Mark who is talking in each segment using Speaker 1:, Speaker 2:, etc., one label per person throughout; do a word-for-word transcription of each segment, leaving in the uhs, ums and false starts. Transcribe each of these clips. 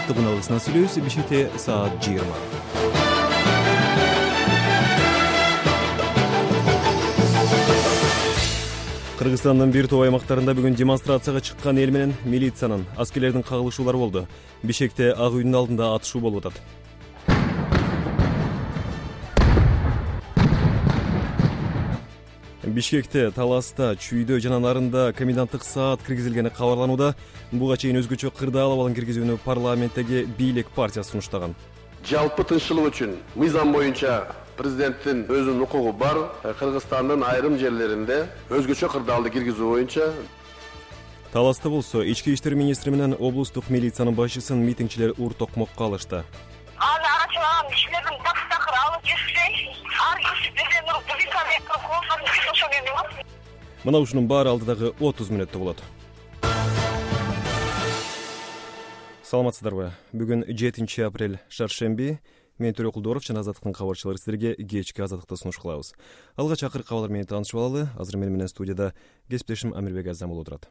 Speaker 1: жыттыгуналысына сүйлөбүз. Бишкекте саат жыйырма. Кыргызстандын бир топ аймактарында бүгүн демонстрацияга чыккан эл менен милициянын, аскерлердин кагылышуулары болду. Бишкекте Ак үйдүн алдында атышуу болуп атат. Бишкекте, Таласта, Чүйдө жана Нарында коменданттык саат киргизилгени кабарланууда. Буга чейин өзгөчө кырдаал абалын киргизүүнү парламенттеги бийлик партиясы сунуштаган.
Speaker 2: Жалпы тынччылык үчүн мыйзам боюнча президенттин өзүнүн укугу бар. Кыргызстандын айрым жерлеринде өзгөчө кырдаалды киргизүү боюнча.
Speaker 1: Таласта болсо, ички иштер министри менен облустук милициянын башчысын митингчилер ур токмокко алышты.
Speaker 3: Аны арачылаган кишилердин такыр алып жүрсөй, ар киши бирден уруп, бирден кылып.
Speaker 1: Мына ушунун баары алдыдагы отуз мүнөттө болот. Саламатсыздарбы? Бүгүн жетинчи апрель, шаршемби. Мен Төрө Кулдоров жана Азаттыктын кабарчылары сиздерге кечки Азаттыкты сунуш кылабыз. Алгач акыркы кабарлар менен таанышып алалы. Азыр мени менен студияда кесиптешим Амирбек Азам болуп турат.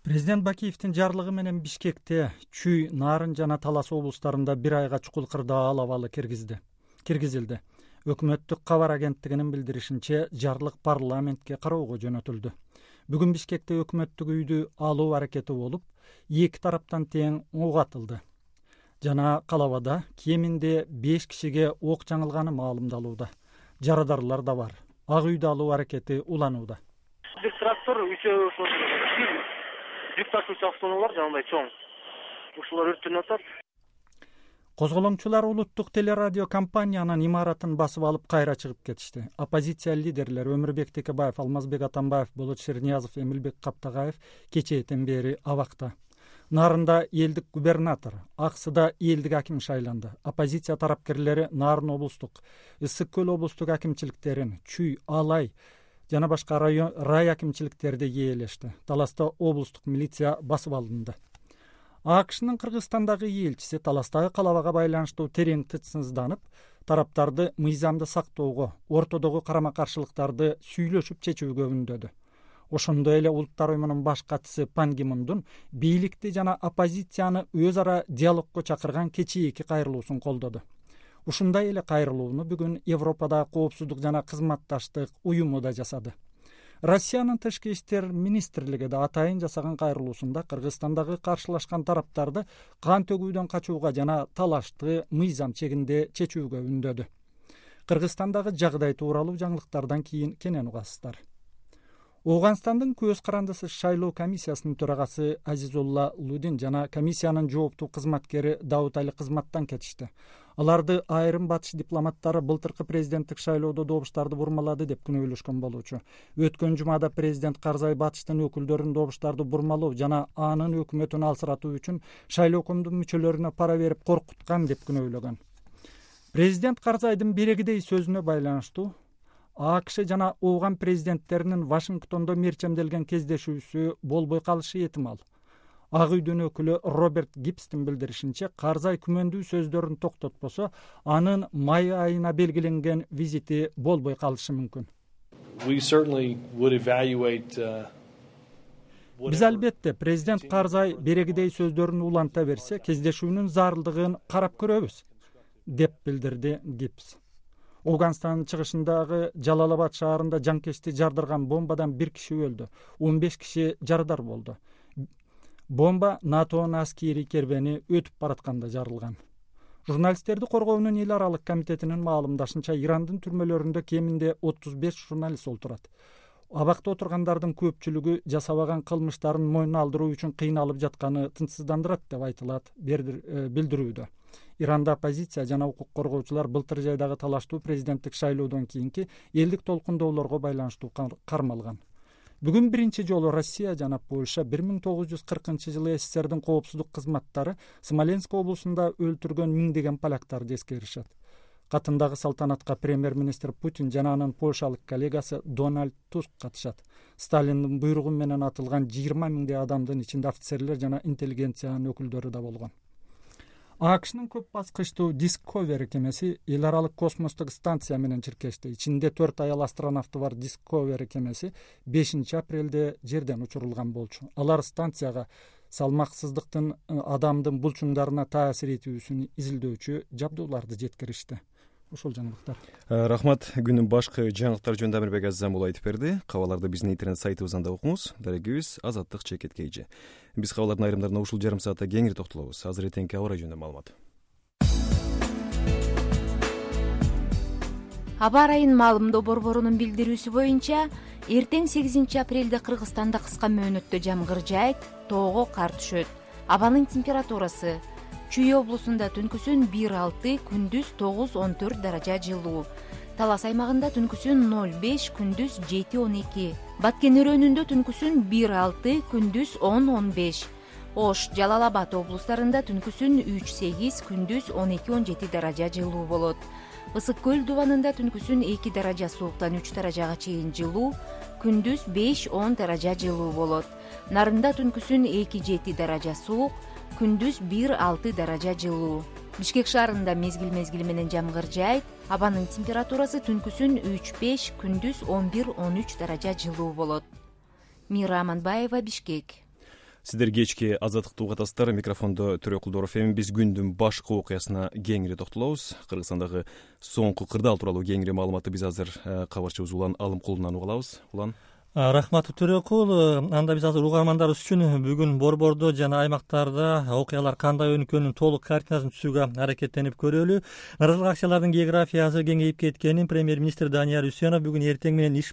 Speaker 4: Президент Бакиевдин жарлыгы менен Бишкекте, Чүй, Нарын жана Талас облустарында бир айга чукул кырдаал абалы киргизди. Киргизилди. Өкмөттүк кабар агенттигинин билдиришинче, жарлык парламентке кароого жөнөтүлдү. Бүгүн Бишкекте өкмөттүк үйдү алуу аракети болуп, эки тараптан тең ок атылды. Жана Калабада кеминде беш кишиге ок жаңылганы маалымдалууда. Жарадарлар да бар. Ак үйдү алуу аракети уланууда.
Speaker 5: Бир трактор, үчөө жүк ташуучу автоунаалар жанагындай чоң. Ушулар өрттөнүп атат.
Speaker 4: Козголоңчулар улуттук телерадио компаниянын имаратын басып алып кайра чыгып кетишти. Оппозиция лидерлери Өмүрбек Текебаев, Алмазбек Атамбаев, Болот Шерниязов, Эмилбек Каптагаев кечээден бери абакта. Нарында элдик губернатор, Аксыда элдик аким шайланды. Оппозиция тарапкерлери Нарын облустук, Ысык көл облустук акимчиликтерин, Чүй, Алай жана башка район рай акимчиликтерди ээлешти. Таласта облустук милиция басып алынды. АКШнын Кыргызстандагы элчиси Таластагы калабага байланыштуу терең тынчсызданып, тараптарды мыйзамды сактоого, ортодогу карама-каршылыктарды сүйлөшүп чечүүгө үндөдү. Ошондой эле Улуттар уюмунун баш катчысы Пан Ги Мундун бийликти жана оппозицияны өз ара диалогко чакырган кечээки кайрылуусун колдоду. Ушундай эле кайрылууну бүгүн Европада коопсуздук жана кызматташтык уюму да жасады. Россиянын тышкы иштер министрлиги да атайын жасаган кайрылуусунда Кыргызстандагы каршылашкан тараптарды кан төгүүдөн качууга жана талашты мыйзам чегинде чечүүгө үндөдү. Кыргызстандагы жагдай тууралуу жаңылыктардан кийин кенен угасыздар. Ооганстандын көз карандысы шайлоо комиссиясынын төрагасы Азизулла Лудин жана комиссиянын жооптуу кызматкери Даут Али кызматтан кетишти. Аларды айрым батыш дипломаттары былтыркы президенттик шайлоодо добуштарды бурмалады деп күнөөлөшкөн болчу. Өткөн жумада президент Карзай батыштын өкүлдөрүн добуштарды бурмалоо жана анын өкмөтүн алсыратуу үчүн шайлоокомдун мүчөлөрүнө пара берип коркуткан деп күнөөлөгөн. Президент Карзайдын берегидей сөзүнө байланыштуу АКШ жана Ооган президенттеринин Вашингтондо мерчемделген кездешүүсү болбой калышы этимал. Ак үйдүн өкүлү Роберт Гибстин билдиришинче, Карзай күмөндүү сөздөрүн токтотпосо, анын май айына белгиленген визити болбой калышы мүмкүн. Биз албетте президент Карзай берегидей сөздөрүн уланта берсе, кездешүүнүн зарылдыгын карап көрөбүз, деп билдирди Гибс. Ооганстандын чыгышындагы Жалалабад шаарында жанкечти жардырган бомбадан бир киши өлдү, он беш киши жарадар болду. Бомба НАТОнун аскери кербени өтүп баратканда жарылган. Журналисттерди коргоонун эл аралык комитетинин маалымдашынча, Ирандын түрмөлөрүндө кеминде отуз беш журналист олтурат. Абакта отургандардын көпчүлүгү жасабаган кылмыштарын мойнуна алдыруу үчүн кыйналып жатканы тынчсыздандырат деп айтылат билдирүүдө. Иранда оппозиция жана укук коргоочулар былтыр жайдагы талаштуу президенттик шайлоодон кийинки элдик толкундоолорго байланыштуу кармалган. Бүгүн биринчи жолу Россия жана Польша бир миң тогуз жүз кыркынчы жылы СССРдин коопсуздук кызматтары Смоленск облусунда өлтүргөн миңдеген поляктарды эскеришет. Катындагы салтанатка премьер-министр Путин жана анын польшалык коллегасы Дональд Туск катышат. Сталиндин буйругу менен атылган жыйырма миңдей адамдын ичинде офицерлер жана интеллигенциянын өкүлдөрү да болгон. АКШнын көп баскычтуу Discovery кемеси эл аралык космостук станция менен чиркешти. Ичинде төрт аял астронавты бар Discovery кемеси бешинчи апрелде жерден учурулган болчу. Алар станцияга салмаксыздыктын адамдын булчуңдарына таасир этүүсүн изилдөөчү жабдууларды жеткиришти. Ушул жаңылыктар.
Speaker 1: Рахмат. Күнүн башкы жаңылыктары жөнүндө Амирбек Азизамуулу айтып берди. Кабарларды биздин интернет сайтыбыздан да окуңуз. Дарегибиз Азаттык чекит kg. Биз кабарлардын айрымдарына ушул жарым саатта кеңири токтолобуз. Азыр эртеңки аба ырайы жөнүндө маалымат.
Speaker 6: Аба ырайынын маалымдоо борборунун билдирүүсү боюнча, эртең сегизинчи апрелде Кыргызстанда кыска мөөнөттө жамгыр жаайт, тоого кар түшөт. Абанын температурасы: Чүй облусунда түнкүсүн бир алты, күндүз тогуз он төрт даража жылуу. Талас аймагында түнкүсүн ноль беш, күндүз жети он эки. Баткен өрөөнүндө түнкүсүн бир алты, күндүз он он беш. Ош, Жалал Абад облустарында түнкүсүн үч сегиз, күндүз он эки он жети даража жылуу болот. Ысык көл дубанында түнкүсүн эки даража сууктан үч даражага чейин жылуу, күндүз беш он даража жылуу болот. Нарында түнкүсүн эки жети даража суук, күндүз бир алты даража жылуу. Бишкек шаарында мезгил-мезгили менен жамгыр жаайт, абанын температурасы түнкүсүн үч беш, күндүз он бир он үч даража жылуу болот. Мира Аманбаева, Бишкек.
Speaker 1: Сиздер кечки азаттыкты угатасыздар. Микрофондо Төрө Кулдоров. Эми биз күндүн башкы окуясына кеңири токтолобуз. Кыргызстандагы соңку кырдаал тууралуу кеңири маалыматты биз азыр кабарчыбыз Улан Алымкулунан уга алабыз. Улан.
Speaker 7: Рахмат Төрөкул. Анда биз азыр угармандарыбыз үчүн бүгүн борбордо жана аймактарда окуялар кандай өнүккөнүн толук картинасын түзүүгө аракеттенип көрөлү. Наразылык акцияларынын географиясы кеңейип кеткенин премьер-министр Данияр Үсенов бүгүн эртең менен иш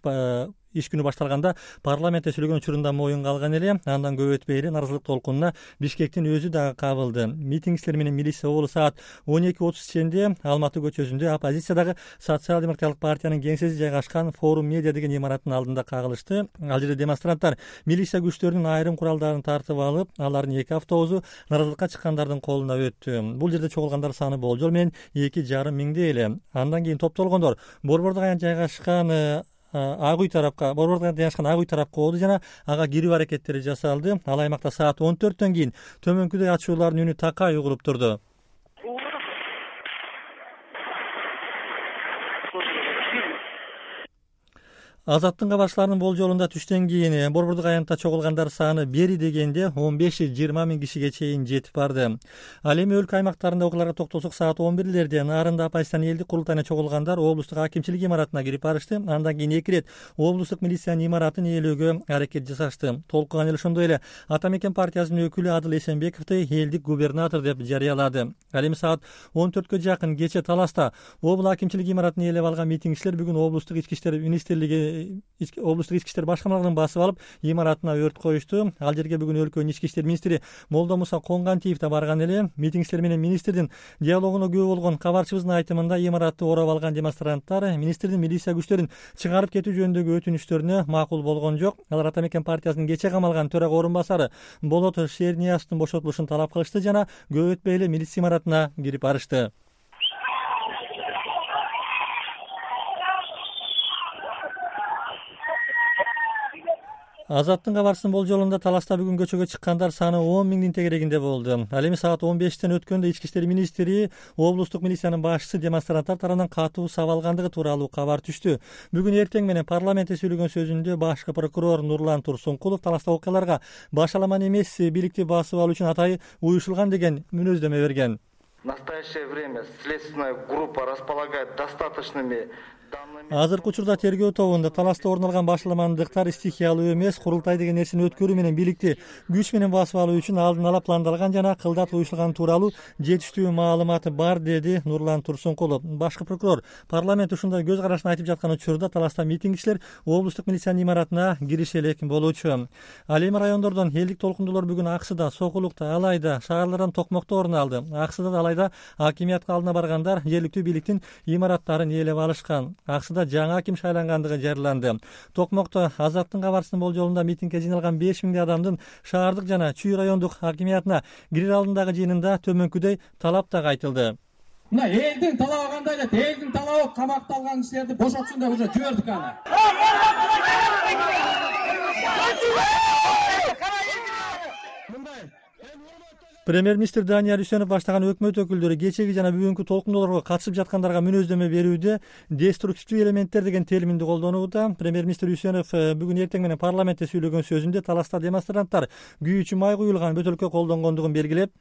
Speaker 7: иш күнү башталганда парламентте сүйлөгөн учурунда моюнга алган эле. Андан көп өтпөй эле наразылык толкунуна Бишкектин өзү дагы кабылды. Митингчилер менен милиция оболу саат он эки отуз ченде Алматы көчөсүндө оппозициядагы Социал-демократиялык партиянын кеңсеси жайгашкан Форум Медиа деген имараттын алдында кагылышты. Ал жерде демонстранттар милиция күчтөрүнүн айрым куралдарын тартып алып, алардын эки автобусу наразылыкка чыккандардын колуна өттү. Бул жерде чогулгандар саны болжол менен эки жарым миңдей эле. Андан кийин топтолгондор борбордо жайгашкан Ак үй тарапка, борбордо жайгашкан Ак үй тарапка оду жана ага кирүү аракеттери жасалды. Ал аймакта саат он төрттөн кийин төмөнкүдөй ачуулардын үнү такай угулуп турду. Азаттын кабарчыларынын болжолунда түштөн кийин борбордук аянтта чогулгандар саны бери дегенде он беш жыйырма миң кишиге чейин жетип барды. Ал эми өлкө аймактарында окуяларга токтолсок, саат он бирлерде Нарында оппозициянын элдик курултайына чогулгандар облустук акимчилик имаратына кирип барышты. Андан кийин эки ирет облустук милициянын имаратын ээлөөгө аракет жасашты. Толкуган эле ошондой эле Ата Мекен партиясынын өкүлү Адыл Эсенбековду элдик губернатор деп жарыялады. Ал эми саат он төрткө жакын кече Таласта облус акимчилик имаратын ээлеп алган митингчилер бүгүн облустук ички иштер министрлиги облустук ички иштер башкармалыгын басып алып, имаратына өрт коюшту. Ал жерге бүгүн өлкөнүн ички иштер министри Молдомуса Конгантиев да барган эле. Митингчилер менен министрдин диалогуна күбө болгон кабарчыбыздын айтымында, имаратты ороп алган демонстранттар министрдин милиция күчтөрүн чыгарып кетүү жөнүндөгү өтүнүштөрүнө макул болгон жок. Алар Ата Мекен партиясынын кече камалган төрага орун басары Болот Шерниязовдун бошотулушун талап кылышты жана көп өтпөй эле милиция имаратына кирип барышты. Азаттын кабарчысынын болжолунда Таласта бүгүн көчөгө чыккандар саны он миңдин тегерегинде болду. Ал эми саат он бештен өткөндө ички иштер министри облустук милициянын башчысы демонстранттар тарабынан катуу сабалгандыгы тууралуу кабар түштү. Бүгүн эртең менен парламентте сүйлөгөн сөзүндө башкы прокурор Нурлан Турсункулов Таласта окуяларга башаламан эмес бийликти басып алуу үчүн атайы уюшулган деген мүнөздөмө берген.
Speaker 8: В настоящее время следственная группа располагает достаточными
Speaker 7: Азыркы учурда тергөө тобунда Таласта орун алган башаламандыктар стихиялуу эмес, курултай деген нерсени өткөрүү менен бийликти күч менен басып алуу үчүн алдын ала пландалган жана кылдат уюшулган тууралуу жетиштүү маалымат бар, деди Нурлан Турсункулов. Башкы прокурор парламент ушундай көз карашын айтып жаткан учурда Таласта митингчилер облустук милициянын имаратына кириши элек болчу. Ал эми райондордон элдик толкундуулар бүгүн Аксыда, Сокулукта, Алайда, шаарлардан Токмокто орун алды. Аксыда да Алайда акимиятка алдына баргандар жергиликтүү бийликтин имараттарын ээлеп алышкан. Аксыда жаңы аким шайлангандыгы жарыяланды. Токмокто Азаттын кабарчысынын болжолунда митингге жыйналган беш миңдей адамдын шаардык жана Чүй райондук акимиятына кирер алдындагы жыйынында төмөнкүдөй талап дагы айтылды.
Speaker 9: Мына элдин талабы кандай деп, элдин талабы камакта алган кишилерди бошотсун деп уже жибердик аны.
Speaker 7: Премьер-министр Данияр Үсенов баштаган өкмөт өкүлдөрү кечеги жана бүгүнкү толкундоолорго катышып жаткандарга мүнөздөмө берүүдө деструктивдүү элементтер деген терминди колдонууда. Премьер-министр Үсенов бүгүн эртең менен парламентте сүйлөгөн сөзүндө таласта демонстранттар күйүүчү май куюлган бөтөлкө колдонгондугун белгилеп,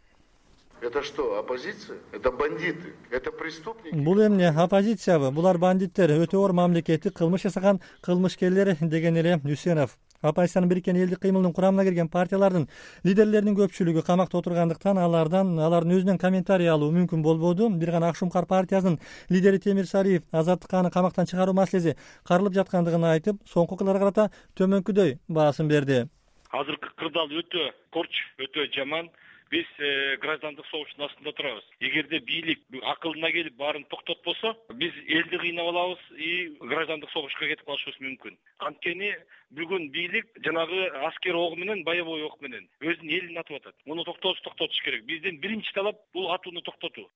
Speaker 8: это что, оппозиция? Это бандиты? Это преступники?
Speaker 7: Бул эмне, оппозициябы? Булар бандиттер, өтө оор мамлекеттик кылмыш жасаган кылмышкерлер деген эле Үсенов. Оппозициянын бириккен элдик кыймылынын курамына кирген партиялардын лидерлеринин көпчүлүгү камакта отургандыктан алардан алардын өзүнөн комментарий алуу мүмкүн болбоду. Бир гана Ак Шумкар партиясынын лидери Темир Сариев Азаттыкка аны камактан чыгаруу маселеси каралып жаткандыгын айтып, соңку окуяларга карата төмөнкүдөй баасын берди.
Speaker 10: Азыркы кырдаал өтө корч, өтө жаман. Биз граждандык согуштун астында турабыз. Эгерде бийлик акылына келип баарын токтотпосо, биз элди кыйнап алабыз и граждандык согушка кетип калышыбыз мүмкүн. Анткени бүгүн бийлик жанагы аскер ого менен, боевой ок менен өзүнүн элин атып атат. Муну токтотуш токтотуш керек. Бизден биринчи талап бул атууну токтотуу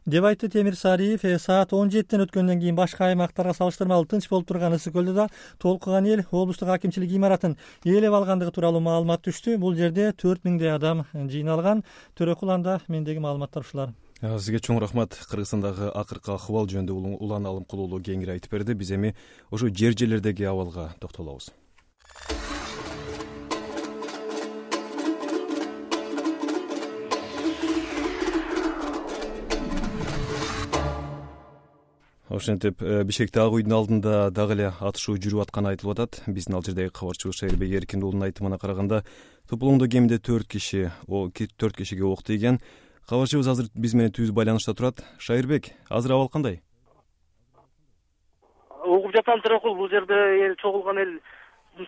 Speaker 7: деп айтты Темир Сариев. Саат он жетиден өткөндөн кийин башка аймактарга салыштырмалуу тынч болуп турган Ысык көлдө да толкуган эл облустук акимчилик имаратын ээлеп алгандыгы тууралуу маалымат түштү. Бул жерде төрт миңдей адам жыйналган. Төрөкул анда мендеги маалыматтар ушулар.
Speaker 1: Сизге чоң рахмат. Кыргызстандагы акыркы акыбал жөнүндө улан Алымкулуулу кеңири айтып берди. Биз эми ошо жер жерлердеги абалга токтолобуз. Ошентип Бишкекте Ак үйдүн алдында дагы эле атышуу жүрүп атканы айтылып атат. Биздин ал жердеги кабарчыбыз Шайырбек Эркиндүүлдүн айтымына караганда, Топулоңдо кеминде төрт киши, төрт кишиге ок тийген. Кабарчыбыз азыр биз менен түз байланышта турат. Шайырбек, азыр абал кандай?
Speaker 5: Угуп жатам Төрөкул, бул жерде эл чогулган эл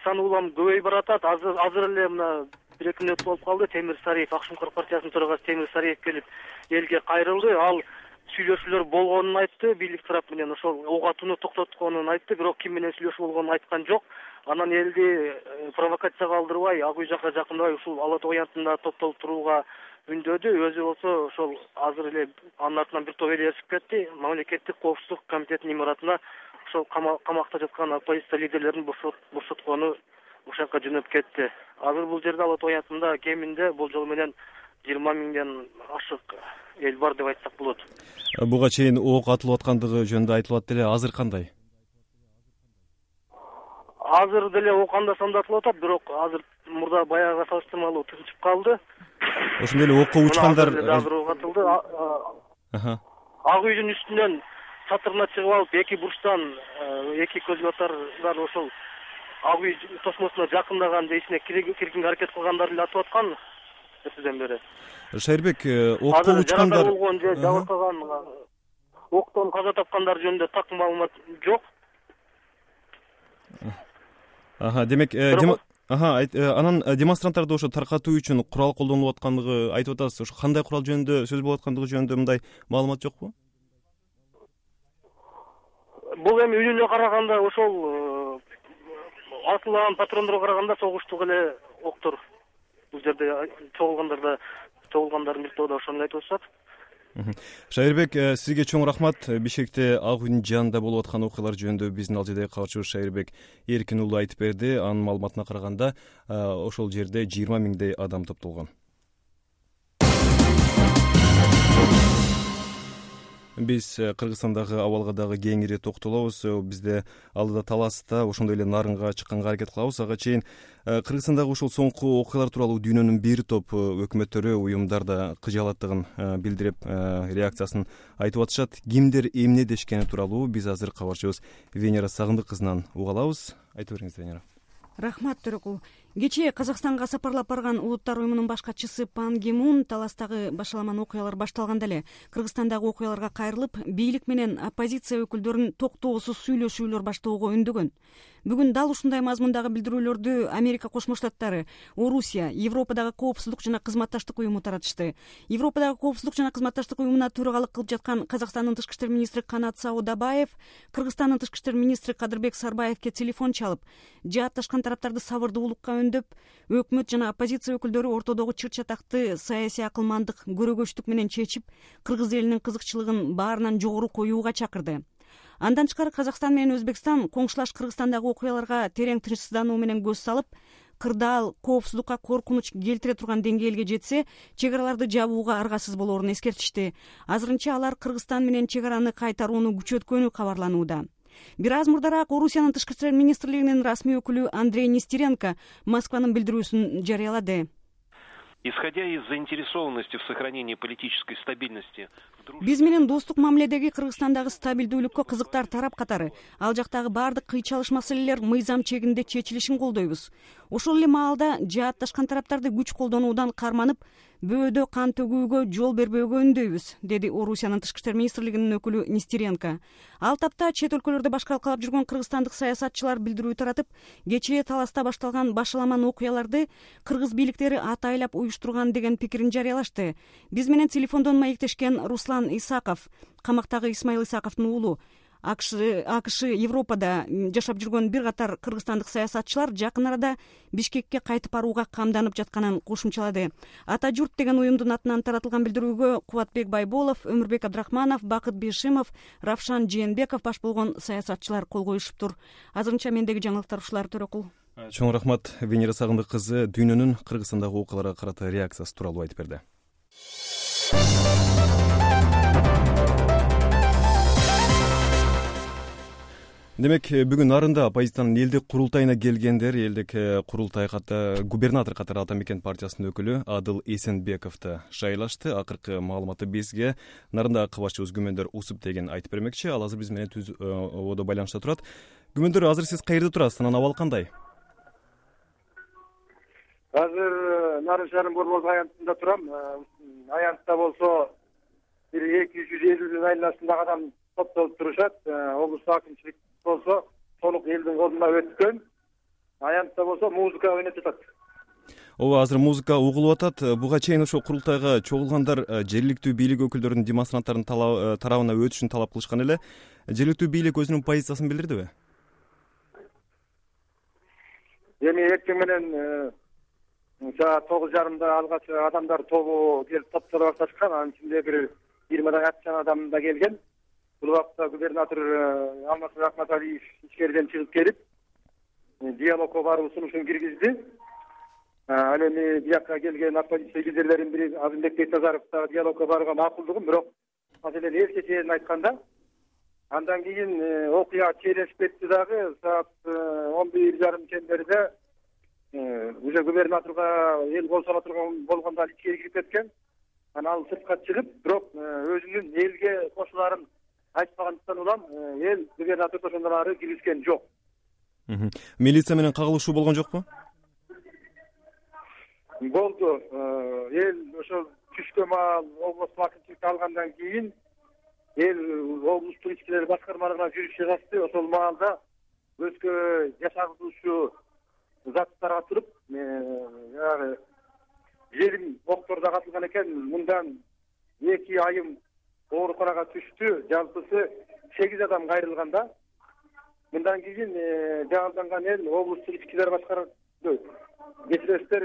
Speaker 5: саны улам көбөйүп баратат. Азыр азыр эле мына бир эки мүнөт болуп калды. Темир Сариев, Ак Шумкар партиясынын төрагасы Темир Сариев келип элге кайрылды. Ал сүйлөшүүлөр болгонун айтты, бийлик тарап менен ошол ок атууну токтотконун айтты, бирок ким менен сүйлөшүү болгонун айткан жок. Анан элди провокацияга алдырбай, Ак үй жакка жакындабай ушул Ала Тоо янтында топтолуп турууга үндөдү. Өзү болсо ошол азыр эле анын артынан бир топ эл ээрчип кетти. Мамлекеттик коопсуздук комитетинин имаратына ошол камакта жаткан оппозиция лидерлерин бошоткону ошол жака жөнөп кетти. Азыр бул жерде Ала Тоо янтында кеминде болжол менен жыйырма миңден ашык эл бар деп айтсак болот.
Speaker 1: Буга чейин ок атылып аткандыгы жөнүндө айтылып атты эле, азыр кандай?
Speaker 5: Азыр деле ок анда санда атылып атат, бирок азыр мурда баягыга салыштырмалуу тынчып калды.
Speaker 1: Ошондой эле окко учкандар
Speaker 5: азыр ок атылды. Ак үйдүн үстүнөн чатырына чыгып алып, эки бурчтан эки көзгө атардар ошол Ак үй тосмосуна жакындаган же ичине киргенге аракет кылгандар эле атып аткан. Сизден бери
Speaker 1: Шайырбек, окко учкандар
Speaker 5: болгон же жабыркаган октон каза тапкандар жөнүндө так маалымат жок.
Speaker 1: Аха, демек, аха, анан демонстранттарды ошо таркатуу үчүн курал колдонулуп аткандыгы айтып атасыз. Ошо кандай курал жөнүндө сөз болуп аткандыгы жөнүндө мындай маалымат жокпу?
Speaker 5: Бул эми үнүнө караганда ошол атылган патрондорго караганда согуштук эле октор. Бул жерде чогулгандарда чогулгандардын бир тобу да ошону айтып атышат.
Speaker 1: Шайырбек, сизге чоң рахмат. Бишкекте Ак үйдүн жанында болуп аткан окуялар жөнүндө биздин ал жердеги кабарчыбыз Шайырбек Эркиндүүлдү айтып берди. Анын маалыматына караганда, ошол жерде жыйырма миңдей адам топтолгон. Биз Кыргызстандагы абалга дагы кеңири токтолобуз. Бизде алдыда таласта, ошондой эле Нарынга чыкканга аракет кылабыз. Ага чейин Кыргызстандагы ушул соңку окуялар тууралуу дүйнөнүн бир топ өкмөттөрү, уюмдар да кыжаалаттыгын билдирип, реакциясын айтып атышат. Кимдер эмне дешкени тууралуу биз азыр кабарчыбыз Венера Сагындык кызынан уга алабыз. Айтып бериңиз, Венера.
Speaker 11: Рахмат, Төрөкул. Кечээ Казакстанга сапарлап барган Улуттар уюмунун башкачысы Пан Ги Мун таластагы башаламан окуялар башталганда эле Кыргызстандагы окуяларга кайрылып, бийлик менен оппозиция өкүлдөрүн токтоосуз сүйлөшүүлөр баштоого үндөгөн. Бүгүн дал ушундай мазмундагы билдирүүлөрдү Америка Кошмо Штаттары, Орусия, Европадагы коопсуздук жана кызматташтык уюму таратышты. Европадагы коопсуздук жана кызматташтык уюмуна төрагалык кылып жаткан Казакстандын тышкы иштер министри Канат Саудабаев Кыргызстандын тышкы иштер министри Кадырбек Сарбаевке телефон чалып, жаатташкан тараптарды сабырдуулукка өндөп, өкмөт жана оппозиция өкүлдөрү ортодогу чыр чатакты саясий акылмандык, көрөгөчтүк менен чечип, кыргыз элинин кызыкчылыгын баарынан жогору коюуга чакырды. Андан тышкары Казакстан менен Өзбекстан коңшулаш Кыргызстандагы окуяларга терең тынчсыздануу менен көз салып, кырдаал коопсуздукка коркунуч келтире турган деңгээлге жетсе, чек араларды жабууга аргасыз болоорун эскертишти. Азырынча алар Кыргызстан менен чек араны кайтарууну күчөткөнү кабарланууда. Бир аз мурдараак Орусиянын тышкы иштер министрлигинин расмий өкүлү Андрей Нестеренко Москванын билдирүүсүн жарыялады.
Speaker 12: Исходя из заинтересованности в сохранении политической стабильности,
Speaker 11: биз менен достук мамиледеги Кыргызстандагы стабилдүүлүккө кызыктар тарап катары ал жактагы баардык кыйчалыш маселелер мыйзам чегинде чечилишин колдойбуз. Ошол эле маалда жаатташкан тараптарды күч колдонуудан карманып, бөөдө кан төгүүгө жол бербөөгө үндөйбүз, деди Орусиянын тышкы иштер министрлигинин өкүлү Нестеренко. Ал тапта чет өлкөлөрдө башкалап калып жүргөн кыргызстандык саясатчылар билдирүү таратып, кечээ Таласта башталган башаламан окуяларды кыргыз бийликтери атайлап уюштурган деген пикирин жарыялашты. Биз менен телефондон маектешкен Руслан Исаков, камактагы Исмаил Исаковдун уулу, АКШ Европада жашап жүргөн бир катар кыргызстандык саясатчылар жакын арада Бишкекке кайтып барууга камданып жатканын кошумчалады. Ата журт деген уюмдун атынан таратылган билдирүүгө Кубатбек Байболов, Өмүрбек Абдрахманов, Бакыт Бишимов, Равшан Жээнбеков баш болгон саясатчылар кол коюшуптур. Азырынча мендеги жаңылыктар ушулар, Төрөкул.
Speaker 1: Чоң рахмат. Венера Сагындык кызы дүйнөнүн Кыргызстандагы окуяларга карата реакциясы тууралуу айтып берди. Демек, бүгүн нарында оппозициянын элдик курултайына келгендер элдик курултай ката губернатор катары Ата Мекен партиясынын өкүлү Адыл Эсенбековду шайлашты. Акыркы маалыматы бизге нарында кабарчыбыз күмөндөр усуп деген айтып бермекчи. Ал азыр биз менен түз ободо байланышта турат. Күмөндөр, азыр сиз каерде турасыз? Анан абал кандай?
Speaker 13: Азыр Нарын шаарынын Борбордук аянтында турам. Аянтта болсо бир эки жүз элүүнүн айланасындагы адам топтолуп турушат. Облустук акимчилик болсо толук элдин колуна өткөн. Аянтта болсо музыка ойноп жатат.
Speaker 1: Ооба, азыр музыка угулуп атат. Буга чейин ошо курултайга чогулгандар жергиликтүү бийлик өкүлдөрүнүн демонстранттардын тарабына өтүшүн талап кылышкан эле. Жергиликтүү бийлик өзүнүн позициясын билдирдиби?
Speaker 13: Эми эртең менен саат тогуз жарымда алгач адамдар тобу келип топтоло башташкан. Анын ичинде бир жыйырмадан ашкан адам да келген. Бул убакта губернатор Алмазбек Акматалиев ичкериден чыгып келип, диалогко баруу сунушун киргизди. Ал эми биякка келген оппозиция лидерлеринин бири Азымбек Бектазаров да диалогко барууга макулдугун, бирок маселени эл чечерин айтканда, андан кийин окуя чейлешип кетти дагы. Саат он бир жарым чемберде уже губернаторго эл кол сала турган болгондо ал ичкери кирип кеткен. Анан ал сыртка чыгып, бирок өзүнүн элге кошуларын айтпагандыктан улам эл губернаторду ошондон ары киргизген жок.
Speaker 1: Милиция менен кагылышуу болгон жокпу?
Speaker 13: Болду. Эл ошол түшкө маал облустук акимчиликти алгандан кийин эл облустук ички иштер башкармалыгына жүрүп чыгасты. Ошол маалда өзгө жашагылуучу заттарга туруп, жанагы жерим октордо катылган экен. Мындан эки айым ооруканага түштү. Жалпысы сегиз адам кайрылган да. Мындан кийин жаңыланган эл облустук ички иштер башкармасы кечиресиздер,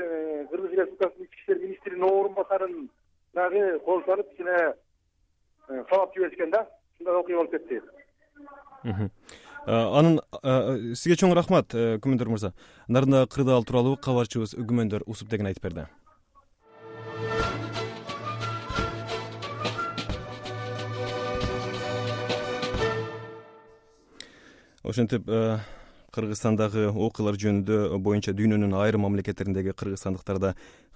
Speaker 13: Кыргыз Республикасынын ички иштер министринин орун басарын дагы кол салып, кичине кабап жиберишкен да. Ушундай окуя болуп кетти.
Speaker 1: Анын сизге чоң рахмат, Күмөндөр мырза. Нарында кырдаал тууралуу кабарчыбыз Күмөндөр усуп деген айтып берди. Ошентип Кыргызстандагы окуялар жөнүндө боюнча дүйнөнүн айрым мамлекеттериндеги кыргызстандыктар да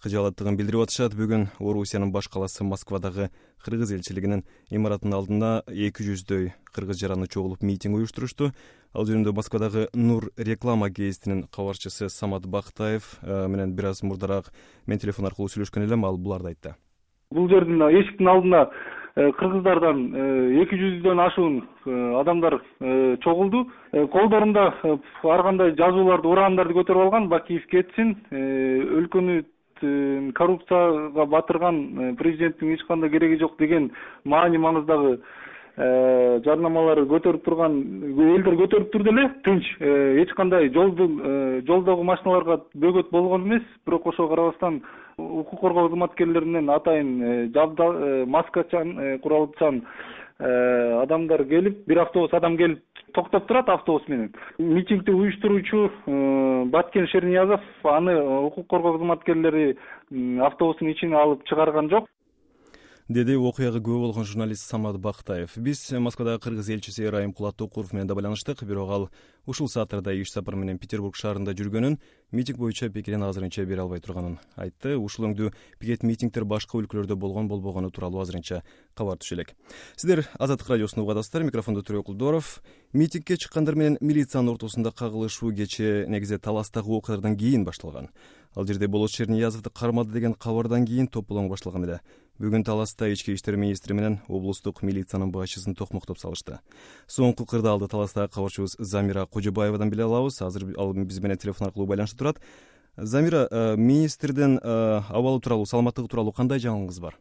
Speaker 1: кыжаалаттыгын билдирип атышат. Бүгүн Орусиянын баш каласы Москвадагы кыргыз элчилигинин имаратынын алдына эки жүздөй кыргыз жараны чогулуп митинг уюштурушту. Ал жөнүндө Москвадагы Нур реклама гезитинин кабарчысы Самат Бактаев менен бир аз мурдараак мен телефон аркылуу сүйлөшкөн элем. Ал буларды айтты.
Speaker 14: Бул жердин эшиктин алдына кыргыздардан эки жүздөн ашуун адамдар чогулду. Колдорунда ар кандай жазууларды, ураандарды көтөрүп алган. Бакиев кетсин, өлкөнү коррупцияга батырган президенттин эч кандай кереги жок деген маани маныздагы жарнамалары көтөрүп турган элдер көтөрүп турду эле. Тынч, эч кандай жолдун жолдогу машиналарга бөгөт болгон эмес. Бирок ошого карабастан укук коргоо кызматкерлеринен атайын жабда маскачан, куралчан адамдар келип, бир автобус адам келип токтоп турат автобус менен. Митингди уюштуруучу Баткен Шерниязов аны укук коргоо кызматкерлери автобустун ичине алып чыгарган жок,
Speaker 1: деди окуяга күбө болгон журналист Самат Бактаев. Биз Москвадагы кыргыз элчиси Райымкулат Токуров менен да байланыштык, бирок ал ушул сааттарда иш сапар менен Петербург шаарында жүргөнүн, митинг боюнча пикирин азырынча бере албай турганын айтты. Ушул өңдүү пикет митингдер башка өлкөлөрдө болгон болбогону тууралуу азырынча кабар түшө элек. Сиздер Азаттык радиосуна угадасыздар. Микрофондо Төрөк Кулдоров. Митингге чыккандар менен милициянын ортосунда кагылышуу кечээ негизи Таластагы окуялардан кийин башталган. Ал жерде Болот Шерниязовду кармады деген кабардан кийин топполоң башталган эле. Бүгүн Таласта ички иштер министри менен облустук милициянын башчысын токмоктоп салышты. Соңку кырдаалды Таластагы кабарчыбыз Замира Кожобаевадан биле алабыз. Азыр ал биз менен телефон аркылуу байланышта турат. Замира, министрдин абалы тууралуу, саламаттыгы тууралуу кандай жаңылыгыңыз бар?